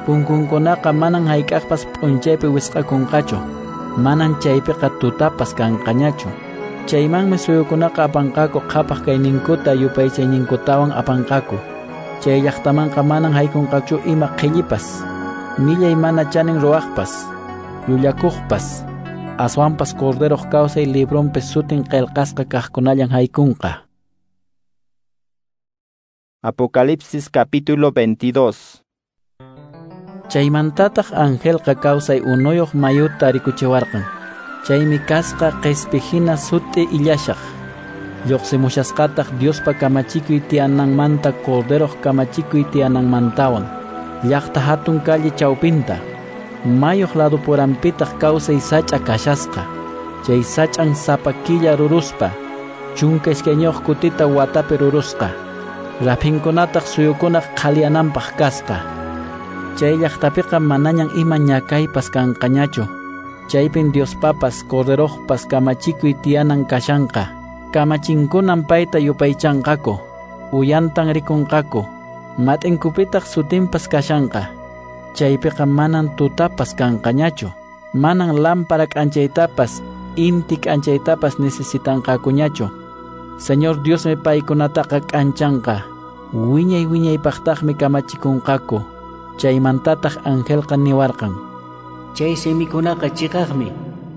Punkunkunaqa manan hayk'aqpas p'unchaypi wisq'akunqachu, manan chaypiqa tutapas kanqañachu. Chaymanmi suyukunaqa apanqaku qhapaq kayninkuta yupaychayninkutawan apanqaku. Chay llaqtamanqa manan haykunqachu ima qhillipas, millay mana chanin ruwaqpas, llullakuqpas, aswanpas Corderoq kawsay librunpi sutin qillqasqa kaqkunallan haykunqa. Apocalipsis capítulo veintidós. Chaymantataq angelqa kawsay unuyuq mayuta rikuchiwarqan. Chaymi kasqa qispi hina sut'i illashaq. Lluqsimushasqataq Diospa kamachikuy tiyananmanta Corderoq kamachikuy tiyananmantawan. Llaqta hatun calle chawpinta. Mayuq ladupuranpitaq kawsay sach'a kashasqa. Chay sach'an sapa killa ruruspa, chunka iskayniyuq kutita watapi rurusqa. Raphinkunataq suyukunaq qhaliyananpaq kasqa. Chay llaqtapiqa manañan ima ñakaypas kanqañachu. Chaypin Diospapas Corderoqpas kamachikuy tiyanan kashanqa. Kamachinkunan payta yupaychanqaku, uyantan rikunqaku, mat'inkupitaq sutinpas kashanqa. Chaypiqa manan tutapas kanqañachu, manan lámpara k'anchaytapas, inti k'anchaytapas necesitanqakuñachu. Señor Diosmi paykunataqa k'anchanqa, wiñay wiñaypaqtaqmi kamachikunqaku. Chaymantataq angelqa niwarqan: Chay simikunaqa chiqaqmi,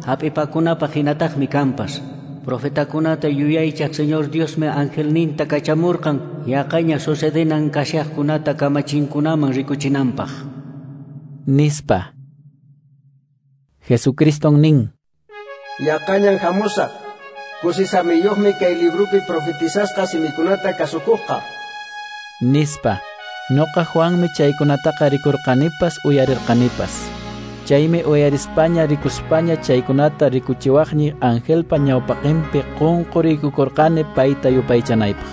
hap'ipakunapaq hinataqmi kanpas. Profetakunata yuyaychaq Señor Diosmi angelninta kachamurqan yaqaña sucedenan kashaqkunata kamachinkunaman rikuchinanpaq. Nispa. Jesucriston nin: Yaqañan hamusaq, kusisamiyuqmi kay librupi profetizasqa simikunata kasukuqqa. Nispa. Noqa Juanmi chaykunataqa rikurqanipas uyarirqanipas. Chaymi uyarispaña rikuspaña chaykunata rikuchiwaqni angelpa ñawpaqinpi qunquriykukurqani payta yupaychanaypaq.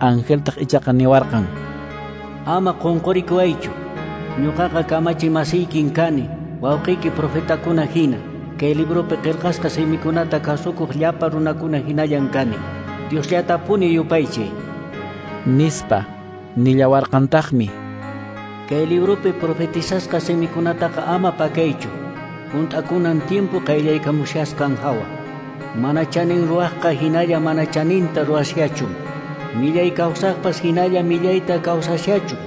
Angeltaq ichaqa niwarqan: Ama qunqurikuwaychu, ñuqaqa kamachi masiykin kani, wawqiyki profetakuna hina, kay librupi qillqasqa simikunata kasukuq llapa runakuna hinallan kani. Diosllatapuni yupaychay. Nispa. Nillawarqantaqmi: Kay librupi profetizasqa simikunataqa ama pakaychu, hunt'akunan tiempo qayllaykamushasqan hawa. Mana chanin ruwaqqa hinalla mana chaninta ruwashachun, millay kawsaqpas hinalla millayta kawsashachun,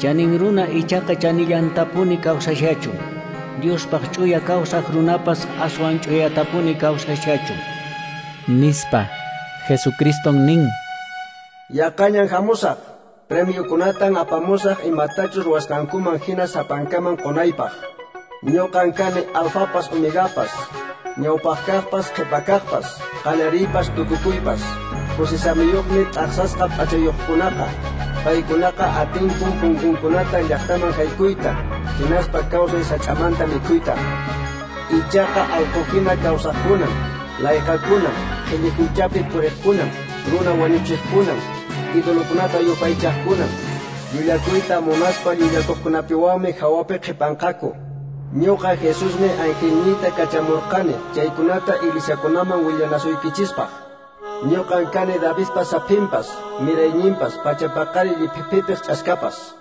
chanin runa ichaqa chanillantapuni kawsashachun, Diospaq ch'uya kawsaq runapas aswan ch'uyatapuni kawsashachun. Nispa. Jesucriston nin: Yaqañan hamusaq, premiokunatan apamusaq imatachus ruwasqankuman hina sapankaman qunaypaq. Ñuqan kani alfapas omegapas, ñawpaqkaqpas qhipakaqpas, qallariypas tukukuypas. Kusisamiyuqmi t'aqsasqa p'achayuqkunaqa, paykunaqa atinkun punkunkunata llaqtaman haykuyta, hinaspa kawsay sach'amanta mikhuyta. Ichaqa allquhina kawsaqkunan, layqakunan, qhilli huchapi puriqkunan, runa wañuchiqkunan, idolokunata yupaychaqkunan, llullakuyta munaspa llullakuqkunapiwanmi hawapi qhipanqaku. Ñuqa Jesusmi angelniyta kachamurqani chaykunata iglesiakunaman willanasuykichispaq. Ñuqan kani Davidpa saphinpas, mirayninpas, pachapaqari lliphipipiq ch'askapas.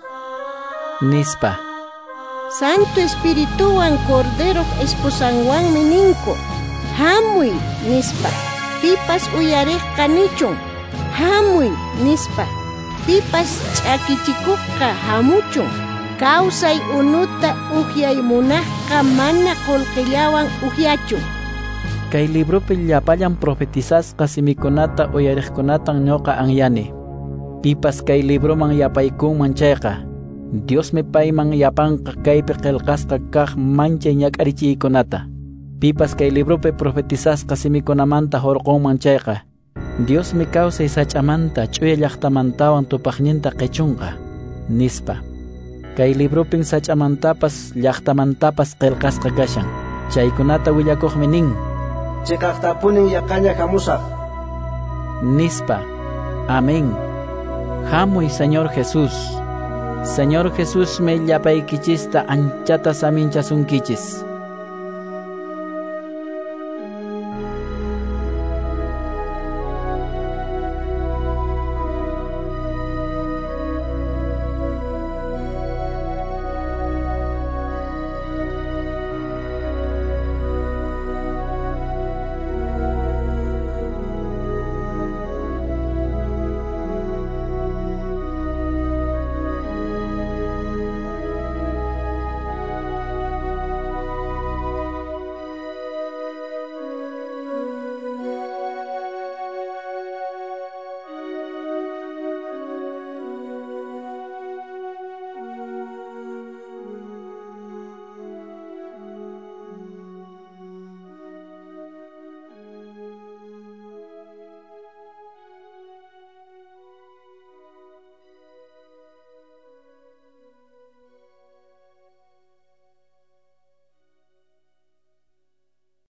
Nispa. Santo Espirituwan Corderoq esposanwanmi ninku: Hamuy, nispa. Pipas uyariqqa nichun: Hamuy, nispa. Pipas ch'akichikuqqa hamuchun. Kawsay unuta ukyay munaqqa mana qullqillawan ukyachun. Kay librupi llapallan profetizasqa simikunata uyariqkunatan ñuqa anyani. Pipas kay libruman yapaykunman chayqa, Diosmi payman yapanqa kaypi qillqasqa kaq manchay ñak'arichiykunata. Pipas kay librupi profetizasqa simikunamanta hurqunman chayqa, Diosmi kawsay sach'amanta ch'uya llaqtamantawan tupaqninta qichunqa. Nispa. Kay librupin sach'amantapas llaqtamantapas qillqasqa kashan. Chaykunata willakuqmi nin: Chiqaqtapunin yaqaña hamusaq. Nispa. Amén. Hamuy, Señor Jesús. Señor Jesusmi llapaykichista anchata saminchasunkichis.